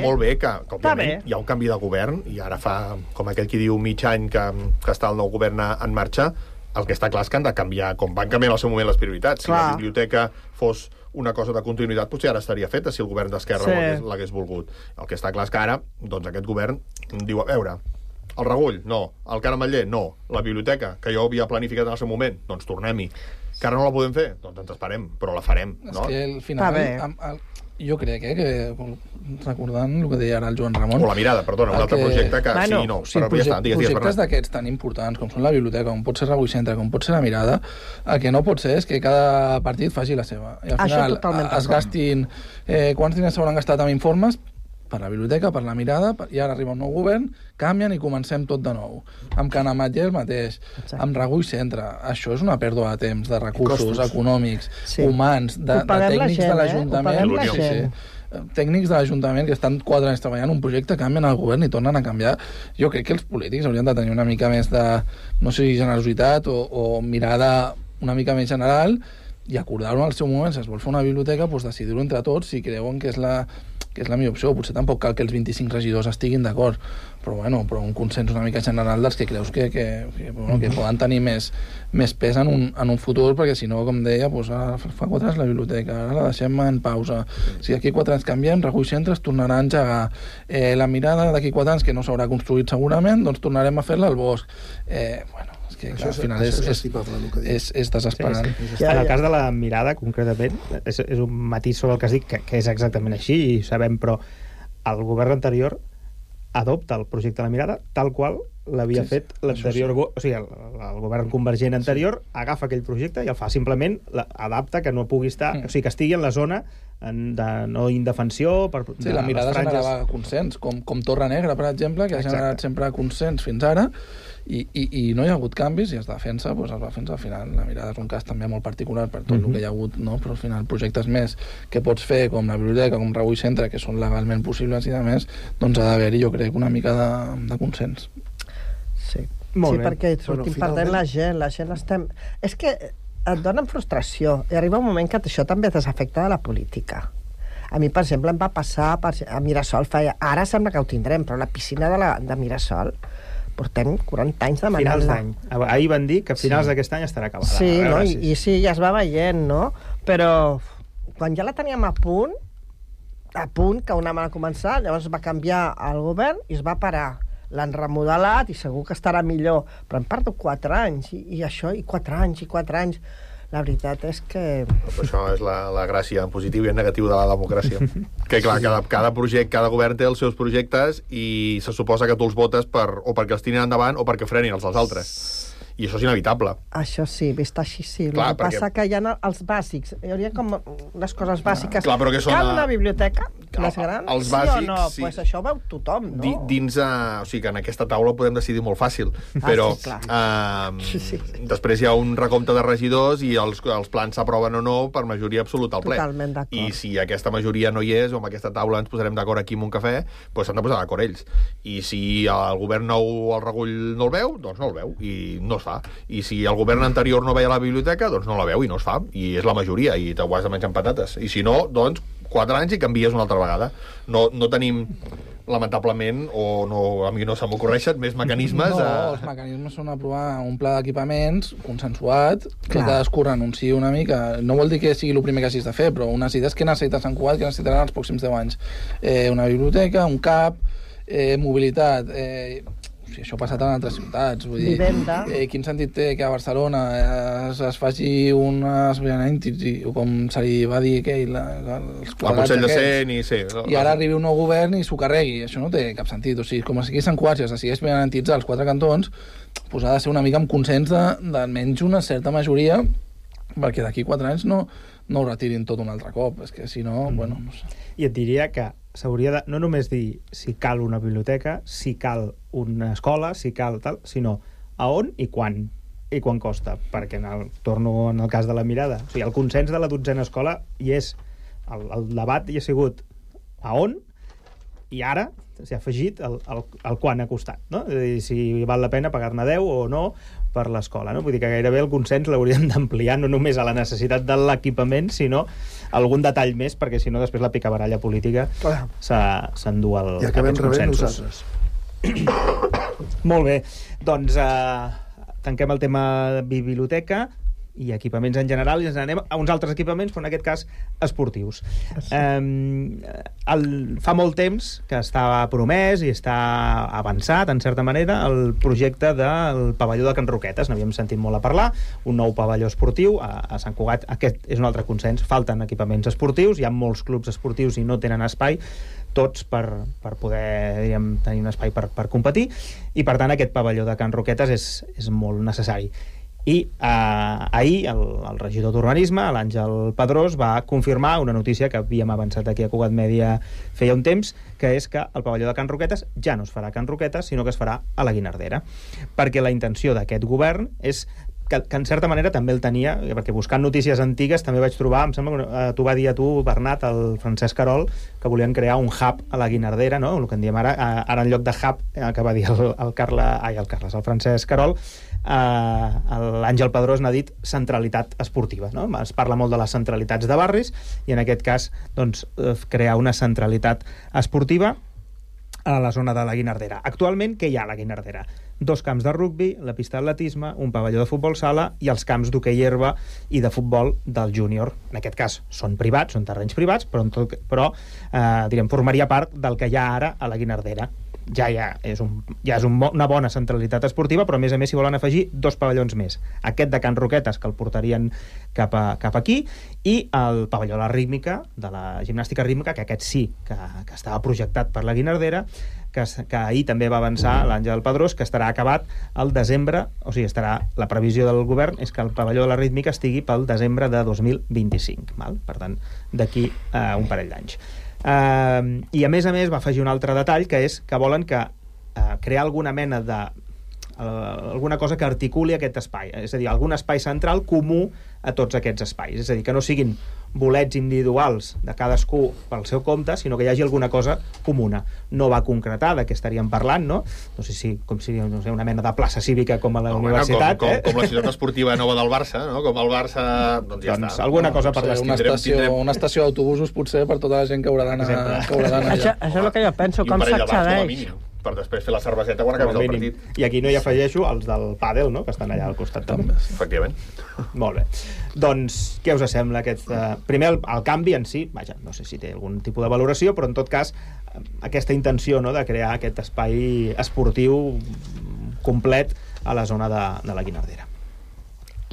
molt bé, que òbviament hi ha un canvi de govern, i ara fa, com aquell qui diu, mig any que està el nou govern en marxa, el que està clar és que han de canviar, com van canviar en el seu moment les prioritats. Si la biblioteca fos una cosa de continuïtat, potser ara estaria feta si el govern d'Esquerra l'hagués volgut. El que està clar és que ara, doncs aquest govern diu, a veure, el Regull, no. El Carameller, no. La biblioteca, que jo havia planificat en el seu moment, doncs tornem-hi. Que ara no la podem fer? Doncs ens esperem, però la farem, no? És que al final, jo crec que recordant el que deia ara el Joan Ramon... O la mirada, perdona, un altre projecte que sí i no. Projectes d'aquests tan importants com són la biblioteca, com pot ser Rebull Centre, com pot ser la mirada, el que no pot ser és que cada partit faci la seva. I al final es gastin... Quants diners s'hauran gastat amb informes per la biblioteca, per la mirada, i ara arriba un nou govern, canvien i comencem tot de nou. Amb Can Ametller el mateix, amb Regull Centre. Això és una pèrdua de temps, de recursos econòmics, humans, de tècnics de l'Ajuntament. Tècnics de l'Ajuntament que estan 4 anys treballant un projecte, canvien el govern i tornen a canviar. Jo crec que els polítics haurien de tenir una mica més de, no sé si generositat o mirada una mica més general, i acordar-ho en el seu moment, si es vol fer una biblioteca, doncs decidir-ho entre tots si creuen que és la millor opció. Potser tampoc cal que els 25 regidors estiguin d'acord, però un consens una mica general dels que creus que poden tenir més pes en un futur, perquè si no, com deia, fa 4 anys la biblioteca, ara la deixem en pausa. Si d'aquí 4 anys canviem, Regull Centre es tornarà a engegar. La mirada d'aquí 4 anys, que no s'haurà construït segurament, doncs tornarem a fer-la al bosc. Que al final és desesperant. En el cas de la mirada, concretament, és un matís sobre el que has dit, que és exactament així, i sabem, però el govern anterior adopta el projecte de la mirada tal qual l'havia fet l'anterior... O sigui, el govern convergent anterior agafa aquell projecte i el fa, simplement adapta que no pugui estar... O sigui, que estigui en la zona de no indefensió... Sí, la mirada generava consens, com Torre Negra, per exemple, que ha generat sempre consens fins ara, i no hi ha hagut canvis, i es defensa, es va defensar. Al final la mirada és un cas també molt particular per tot el que hi ha hagut, no? Però al final projectes més que pots fer, com la biblioteca, com Regull Centre, que són legalment possibles i de més, doncs ha d'haver-hi, jo crec, una mica de consens. Sí, perquè sortim perdent la gent estem... És que et donen frustració, i arriba un moment que això també desafecta de la política. A mi, per exemple, em va passar a Mirasol, ara sembla que ho tindrem, però la piscina de Mirasol portem 40 anys demanant-la. Finals d'any. Ahir van dir que a finals d'aquest any estarà acabada. Sí, no? I sí, ja es va veient, no? Però quan ja la teníem a punt, que un any va començar, llavors va canviar el govern i es va parar. L'han remodelat i segur que estarà millor, però hem perdut 4 anys, i això, i 4 anys. La veritat és que... Però això és la gràcia en positiu i en negatiu de la democràcia. Que clar, cada projecte, cada govern té els seus projectes i se suposa que tu els votes o perquè els tirin endavant o perquè frenin els dels altres. I això és inevitable. Això sí, vist així sí. Clar, el que passa que hi ha els bàsics. Hi hauria com les coses bàsiques. Clar, però que són Cal una biblioteca? Les grans? Els sí bàsics, o no? sí. Pues això ho veu tothom, no? O sigui, que en aquesta taula podem decidir molt fàcil, però després hi ha un recompte de regidors i els plans s'aproven o no per majoria absoluta al ple. Totalment d'acord. I si aquesta majoria no hi és, o amb aquesta taula ens posarem d'acord aquí en un cafè, doncs s'han de posar d'acord ells. I si el govern nou el regull no el veu, doncs no el veu, i no es fa. I si el govern anterior no veia la biblioteca, doncs no la veu i no es fa. I és la majoria, i t'ho has de menjar amb patates. I si no, doncs 4 anys i canvies una altra vegada. No tenim, lamentablement, o no, a mi no se m'ocorreixen més mecanismes. No, els mecanismes són aprovar un pla d'equipaments consensuat, que cadascú renunciï una mica. No vol dir que sigui el primer que hagis de fer, però unes idees que necessita Sant Cugat, que necessitaran els pròxims 10 anys. Una biblioteca, un CAP, mobilitat... Sí, això ha passat en altres ciutats. Vull dir, quin sentit té que a Barcelona es faci unes o com se li va dir aquell, els quadrats aquests, i ara arribi un nou govern i s'ho carregui. Això no té cap sentit. O sigui, com aquí a Sant Cugat es decideix benantitzar els 4 cantons, doncs ha de ser una mica amb consens d'almenys una certa majoria, perquè d'aquí 4 anys no ho retirin tot un altre cop. És que si no, bueno... No sé. I et diria que s'hauria de no només dir si cal una biblioteca, si cal una escola, si cal tal, sinó a on i quan costa, perquè torno en el cas de la mirada. O sigui, el consens de la 12a escola hi és, el debat hi ha sigut a on, i ara s'ha afegit el quan ha costat, no? És a dir, si val la pena pagar-ne 10 o no per l'escola, no? Vull dir que gairebé el consens l'hauríem d'ampliar no només a la necessitat de l'equipament, sinó algun detall més, perquè si no després la picabaralla política s'endú aquests consensos. I acabem rebent nosaltres. Molt bé, doncs tanquem el tema biblioteca i equipaments en general, i ens anem a uns altres equipaments, però en aquest cas esportius. Fa molt temps que estava promès i està avançat, en certa manera, el projecte del pavelló de Can Roquetes. N'havíem sentit molt a parlar, un nou pavelló esportiu a Sant Cugat. Aquest és un altre consens, falten equipaments esportius, hi ha molts clubs esportius i no tenen espai, tots per poder, diríem, tenir un espai per competir, i per tant aquest pavelló de Can Roquetes és molt necessari. I ahir el regidor d'Urbanisme, l'Àngel Pedrós, va confirmar una notícia que havíem avançat aquí a Cugat Mèdia feia un temps, que és que el pavelló de Can Roquetes ja no es farà a Can Roquetes, sinó que es farà a la Guinardera, perquè la intenció d'aquest govern és que en certa manera també el tenia, perquè buscant notícies antigues també vaig trobar, em sembla que t'ho va dir a tu, Bernat, el Francesc Carol, que volien crear un hub a la Guinardera, no? El que en diem ara en lloc de hub, que va dir el Francesc Carol, l'Àngel Pedrós n'ha dit centralitat esportiva, no? Es parla molt de les centralitats de barris, i en aquest cas doncs, crear una centralitat esportiva a la zona de la Guinardera. Actualment, què hi ha a la Guinardera? 2 camps de rugbi, la pista d'atletisme, un pavelló de futbol sala i els camps d'hoquei herba i de futbol del júnior. En aquest cas són privats, són terrenys privats, però formaria part del que hi ha ara a la Guinardera. Ja és una bona centralitat esportiva, però a més s'hi volen afegir 2 pavellons més. Aquest de Can Roquetes, que el portarien cap aquí, i el pavelló de la rítmica, de la gimnàstica rítmica, que aquest sí que estava projectat per la Guinardera, que ahir també va avançar l'Àngel Pedrós, que estarà acabat al desembre, o sigui, la previsió del govern és que el pavelló de la rítmica estigui pel desembre de 2025, val? Per tant, d'aquí un parell d'anys. I a més va afegir un altre detall, que és que volen crear alguna mena de alguna cosa que articuli aquest espai, és a dir, algun espai central comú a tots aquests espais, és a dir, que no siguin bolets individuals de cadascú pel seu compte, sinó que hi hagi alguna cosa comuna. No va concretar de què estaríem parlant, no? No sé si una mena de plaça cívica com a la universitat. Com la ciutat esportiva nova del Barça, no? Com el Barça, doncs ja està. Alguna cosa per l'estil. Una estació d'autobusos, potser, per tota la gent que haurà d'anar allà. Això és el que jo penso, com s'accedeix. Per després fer la cerveseta quan acabés el partit. I aquí no hi afegeixo els del pàdel, no?, que estan allà al costat també. Efectivament. Molt bé. Doncs, què us sembla aquest... Primer, el canvi en si, vaja, no sé si té algun tipus de valoració, però en tot cas, aquesta intenció, no?, de crear aquest espai esportiu complet a la zona de la Guinardera.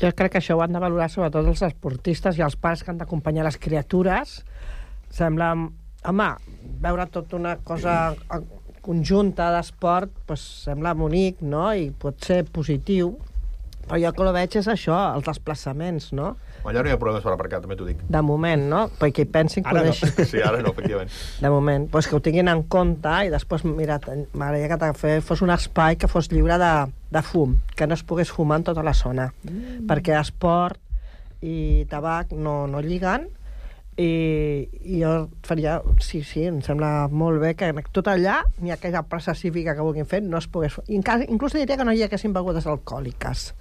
Jo crec que això ho han de valorar sobretot els esportistes i els pares que han d'acompanyar les criatures. Sembla... Home, veure tota una cosa conjunta d'esport, doncs sembla bonic, no?, i pot ser positiu, Però jo que ho veig és això, els desplaçaments, no? Allà no hi ha problemes per aparcar, també t'ho dic. De moment, no? Perquè hi pensin que Ara ho no. deixin. Sí, ara no, efectivament. De moment. Pues que ho tinguin en compte i després, mira, m'agradaria que fos un espai que fos lliure de fum, que no es pogués fumar en tota la zona. Perquè esport i tabac no lliguen, i jo faria... Sí, em sembla molt bé que tot allà, ni aquella plaça cívica que vulguin fer, no es pogués... Inclús diria que no hi haguessin begudes alcohòliques.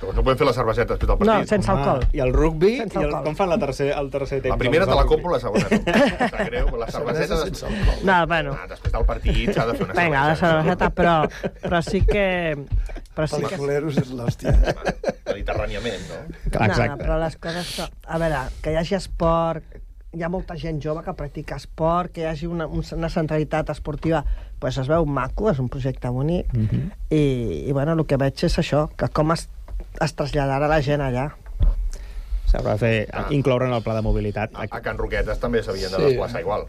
No podem fer la cerveseta després del partit. No, sense alcohol. I el rugbi, Sense alcohol. com fan el tercer temps? La primera te la compro, la segona no. Està greu, la cerveseta sense alcohol. No, bueno. Després del partit s'ha de fer una cerveseta. Vinga, la cerveseta, però sí que... Pel·lículeros és l'hòstia. Mediterràniament, no? No, però les coses... A veure, que hi hagi esport, hi ha molta gent jove que practica esport, que hi hagi una centralitat esportiva, pues es veu maco, és un projecte bonic, i bueno, el que veig és això, que com es traslladarà la gent allà. S'haurà de incloure en el pla de mobilitat. A Can Roquetes també s'havien de desplaçar igual.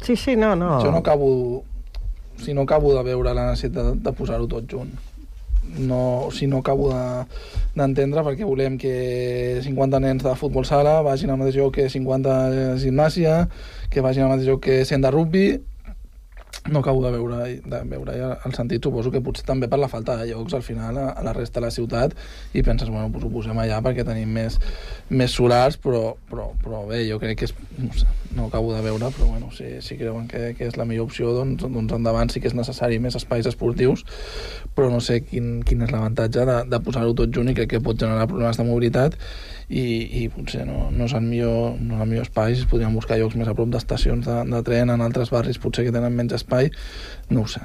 Sí, no. Jo no acabo de veure la necessitat de posar-ho tot junt. No acabo d'entendre perquè volem que 50 nens de futbol sala vagin al mateix lloc que 50 de gimnàsia, que vagin al mateix lloc que 100 de rugby. No acabo de veure el sentit. Suposo que potser també per la falta de llocs al final a la resta de la ciutat, i penses, bueno, doncs ho posem allà perquè tenim més solars, però bé, jo crec que és, no acabo de veure, però bueno, si creuen que és la millor opció, doncs endavant. Sí que és necessari més espais esportius, però no sé quin és l'avantatge de posar-ho tot junt, i crec que pot generar problemes de mobilitat, i potser no és el millor espai. Si podríem buscar llocs més a prop d'estacions de tren en altres barris potser que tenen menys espai, no ho sé,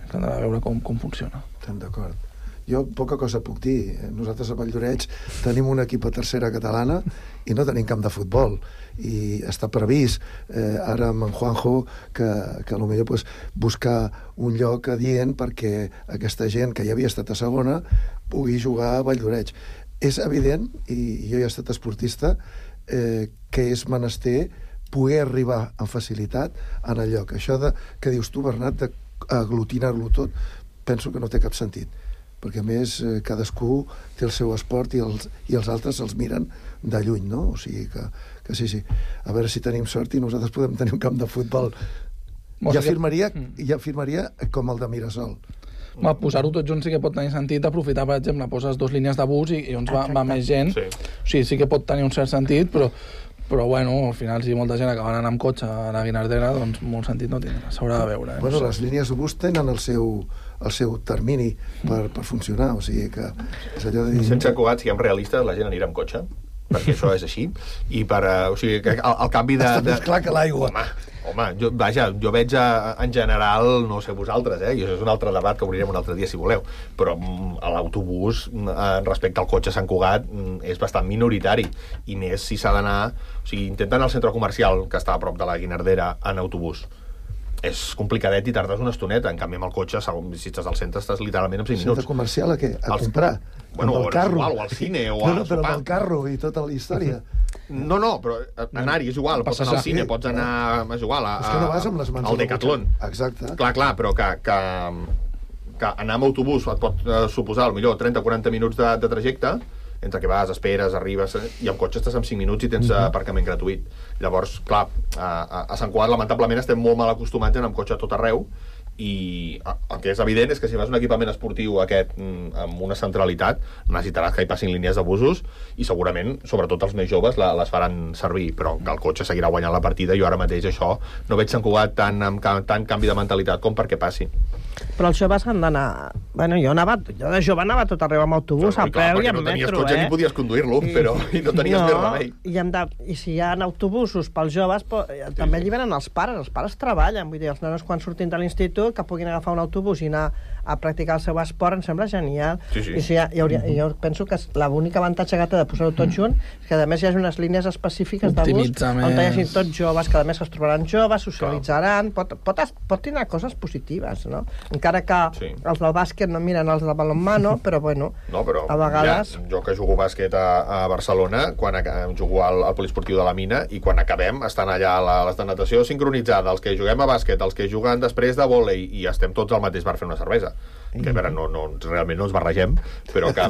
caldrà veure com funciona. Estem d'acord. Jo poca cosa puc dir. Nosaltres a Valldoreix tenim un equip a tercera catalana i no tenim camp de futbol, i està previst ara amb en Juanjo que potser pues, buscar un lloc adient perquè aquesta gent que ja havia estat a segona pugui jugar a Valldoreix. És evident, i jo ja he estat esportista, que és menester poder arribar amb facilitat en el lloc. Això que dius tu, Bernat, d'aglutinar-lo tot, penso que no té cap sentit, perquè a més cadascú té el seu esport i els altres els miren de lluny, no? O sigui que sí. A veure si tenim sort i nosaltres podem tenir un camp de futbol. Ja afirmaria com el de Mirasol. Posar-ho tot junt sí que pot tenir sentit. Aprofitar, per exemple, poses 2 línies de bus i llavors va més gent. Sí que pot tenir un cert sentit, però bueno, al final si molta gent acaba anant amb cotxe a la Guinardera, doncs molt sentit no tindrà, s'haurà de veure. Bueno, les línies de bus tenen el seu termini per funcionar, o sigui que és allò de dir... Sense Cugat, siguem realistes, la gent anirà amb cotxe, perquè això és així, i o sigui, que el canvi de... Està més clar que l'aigua. Home, jo veig en general, no sé vosaltres, i això és un altre debat que obrirem un altre dia si voleu, però l'autobús respecte al cotxe a Sant Cugat és bastant minoritari, i més si s'ha d'anar... O sigui, intenten al centre comercial, que està a prop de la Guinardera, en autobús. És complicadet i tardes una estoneta. En canvi, amb el cotxe, si estàs al centre, estàs literalment en 5 minuts. Centre comercial a què? A comprar? Bueno, amb el carro. O al cine, o a sopar. Però amb el carro i tota la història. No, però anar-hi és igual. Pots anar al cine, pots anar... És igual. És que no vas amb les mans al Decathlon. Exacte. Clar, però que anar amb autobús et pot suposar, potser 30-40 minuts de trajecte, entre que vas, esperes, arribes, i amb cotxe estàs en 5 minuts i tens aparcament gratuït. Llavors, clar, a Sant Cugat lamentablement estem molt mal acostumats a anar amb cotxe a tot arreu, i el que és evident és que si vas a un equipament esportiu aquest amb una centralitat necessitaràs que hi passin línies de busos, i segurament, sobretot els més joves, les faran servir, però que el cotxe seguirà guanyant la partida. Jo ara mateix això no veig Sant Cugat tant canvi de mentalitat com perquè passi. Però els joves han d'anar... Bueno, jo de jove anava tot arreu amb autobús, a peu i amb metro, perquè no tenies cotxe ni podies conduir-lo, però no tenies més remei. I si hi ha autobusos pels joves, també alliberen els pares treballen, vull dir, els nanos quan surtin de l'institut que puguin agafar un autobús i anar a practicar el seu esport, em sembla genial. Sí. I jo penso que l'únic avantatge que té de posar-ho tot junt és que a més hi ha unes línies específiques de bus on hi hagi tots joves, que a més es trobaran joves, socialitzaran, pot tenir coses positives, no? Encara que els del bàsquet no miren els de balonmano, però bueno, a vegades... Mira, jo que jugo bàsquet a Barcelona, quan jugo al poliesportiu de la Mina, i quan acabem estan allà les de natació sincronitzada, els que juguem a bàsquet, els que juguen després de vòlei, i estem tots al mateix bar fent una cervesa. que a veure, realment no ens barregem, però que...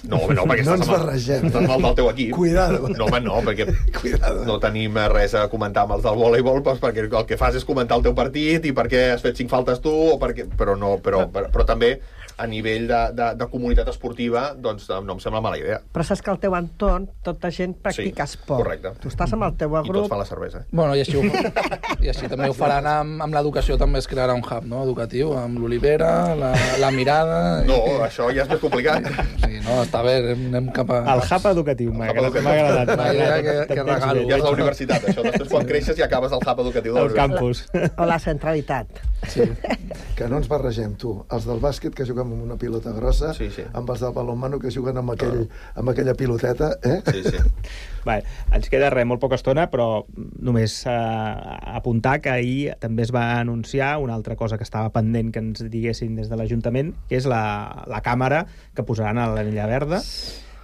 No, perquè no ens barregem. Estàs mal del teu equip. Cuidado. No, home, no, perquè no tenim res a comentar amb els del voleibol, perquè el que fas és comentar el teu partit i per què has fet 5 faltes tu, però també a nivell de comunitat esportiva, doncs no em sembla mala idea. Però saps que al teu entorn tota gent practica esport. Correcte. Tu estàs amb el teu grup... I tots fan la cervesa. Bueno, i així també ho faran amb l'educació, també es crearà un hub, no?, educatiu, amb l'Olivera, la Mirada... No, això ja és més complicat. Sí, no, està bé, anem cap a... El hub educatiu, m'ha agradat. Una idea que regalo. Ja és la universitat, això. Després, quan creixes, ja acabes al hub educatiu de el campus. O la centralitat. Sí. Que no ens barregem, tu. Els del bàsquet que juguen amb una pilota grossa, amb els del balonmano que juguen amb aquella piloteta, Sí. Vale, ens queda molt poca estona, però només apuntar que ahir també es va anunciar una altra cosa que estava pendent que ens diguessin des de l'Ajuntament, que és la càmera que posaran a l'Anella Verda.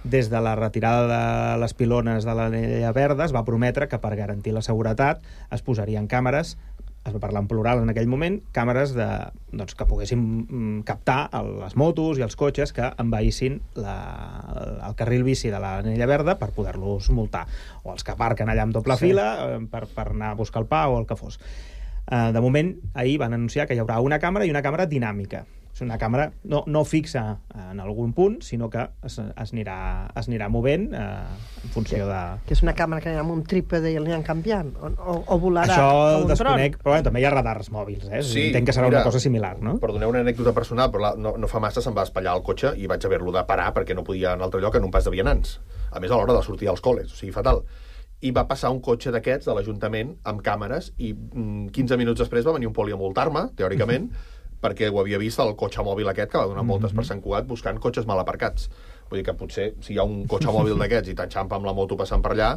Des de la retirada de les pilones de l'Anella Verda es va prometre que per garantir la seguretat es posarien càmeres, es va parlar en plural en aquell moment, càmeres que poguessin captar les motos i els cotxes que envaïssin el carril bici de l'Anella Verda per poder-los multar, o els que aparquen allà amb doble fila per anar a buscar el pa o el que fos. De moment, ahir van anunciar que hi haurà una càmera i una càmera dinàmica. És una càmera no fixa en algun punt, sinó que es anirà movent en funció de... Que és una càmera que anirà amb un trípode i l'aniran canviant? O volarà això com un desconec, però també hi ha radars mòbils, Sí, entenc que serà una cosa similar, no? Perdoneu una anècdota personal, però no fa massa se'm va espatllar el cotxe i vaig haver-lo de parar perquè no podia anar a un altre lloc en un pas de vianants. A més, a l'hora de sortir als col·les, o sigui, fatal. I va passar un cotxe d'aquests de l'Ajuntament amb càmeres i 15 minuts després va venir un poli a multar-me, teòricament, perquè ho havia vist el cotxe mòbil aquest que va donar voltes per Sant Cugat buscant cotxes mal aparcats. Vull dir que potser, si hi ha un cotxe mòbil d'aquests i t'enxampa amb la moto passant per allà,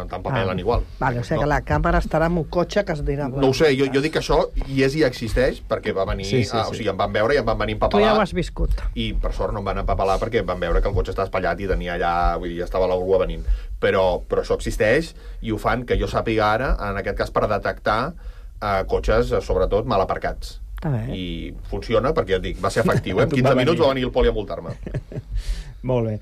t'empapelen igual. Vale, o sigui que la càmera estarà en un cotxe que es dirà... No ho sé, jo dic que això i existeix perquè va venir... O sigui, em van veure i em van venir empapelar. Tu ja ho has viscut. I per sort no em van empapelar perquè van veure que el cotxe estava espatllat i tenia allà... Vull dir, ja estava la grua venint. Però això existeix i ho fan, que jo sàpiga ara, en aquest cas per detectar cotxes, sobretot, mal aparcats. I funciona perquè, ja et dic, va ser efectiu. En 15 minuts va venir el poli a multar-me. Molt bé.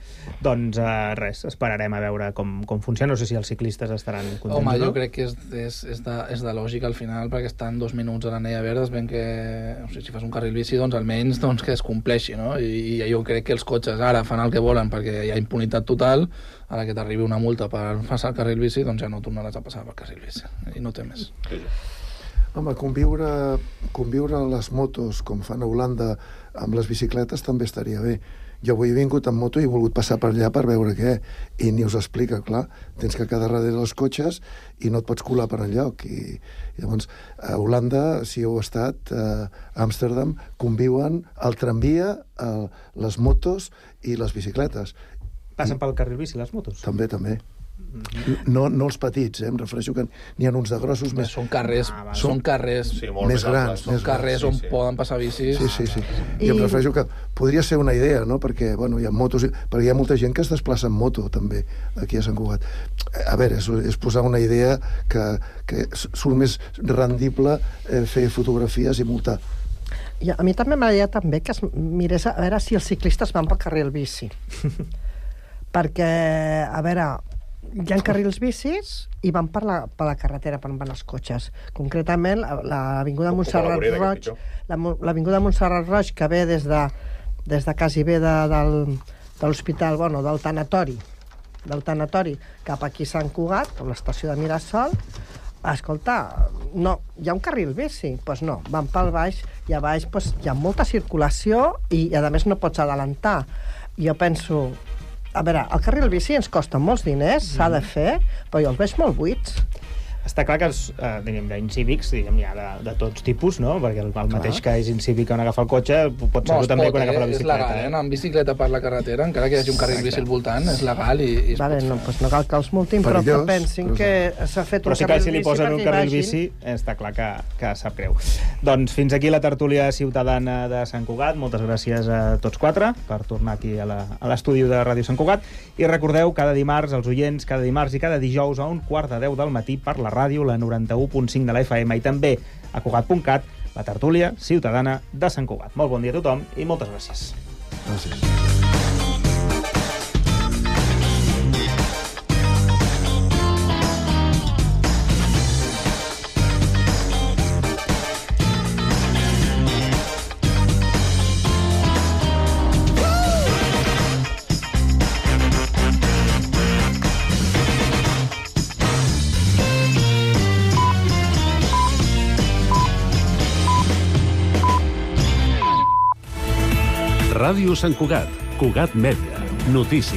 Doncs res, esperarem a veure com funciona. No sé si els ciclistes estaran contents. Home, jo crec que és de lògica al final, perquè estan 2 minuts a l'Anella Verda, es ven que, no sé, si fas un carril bici, doncs almenys que es compleixi, no? I jo crec que els cotxes ara fan el que volen perquè hi ha impunitat total. Ara que t'arribi una multa per passar el carril bici, doncs ja no tornaràs a passar pel carril bici. I no té més. Home, conviure les motos, com fan a Holanda, amb les bicicletes també estaria bé. Jo avui he vingut amb moto i he volgut passar per allà per veure què, i ni us explica, clar. Tens que quedar darrere dels cotxes i no et pots colar per enlloc. I llavors, a Holanda, si heu estat, a Amsterdam, conviuen el tramvia, les motos i les bicicletes. Passen pel carril bici les motos? També. No els petits, em refereixo que n'hi ha uns de grossos més... Són carrers més grans. Són carrers on poden passar bicis. Sí. I em refereixo que podria ser una idea, no? Perquè, bueno, hi ha motos... Perquè hi ha molta gent que es desplaça en moto, també, aquí a Sant Cugat. A veure, és posar una idea que surt més rendible fer fotografies i multar. I a mi també m'agradaria també que es mirés a veure si els ciclistes van pel carril bici. Perquè, a veure... Hi ha carrils bicis i van per la carretera per on van els cotxes. Concretament, l'avinguda Montserrat Roig, l'avinguda Montserrat Roig, que ve des de quasi bé de l'hospital, bueno, del tanatori cap aquí a Sant Cugat, a l'estació de Mirasol. Escolta, no, hi ha un carril bici? Doncs no, van pel baix i a baix hi ha molta circulació i a més no pots adelantar. Jo penso... A veure, el carril bici ens costa molts diners, s'ha de fer, però jo els veig molt buits. Està clar que els incívics, hi ha de tots tipus, no? Perquè el mateix que és incívic on agafa el cotxe pot ser també quan agafa la bicicleta. És legal, anar amb bicicleta per la carretera, encara que hi hagi un carril bici al voltant, és legal i es pot fer. Doncs no cal que els multin, però que pensin que s'ha fet un carril bici. Però sí que si li posen un carril bici, està clar que sap greu. Doncs fins aquí la tertúlia ciutadana de Sant Cugat. Moltes gràcies a tots 4 per tornar aquí a l'estudi de Ràdio Sant Cugat. I recordeu, cada dimarts, els oients, cada dimarts i cada dijous a 9:45 del matí per la ràdio, la 91.5 de la FM i també a Cugat.cat, la tertúlia ciutadana de Sant Cugat. Molt bon dia a tothom i moltes gràcies. Gràcies. Ràdio Sant Cugat, Cugat Mèdia, notícies.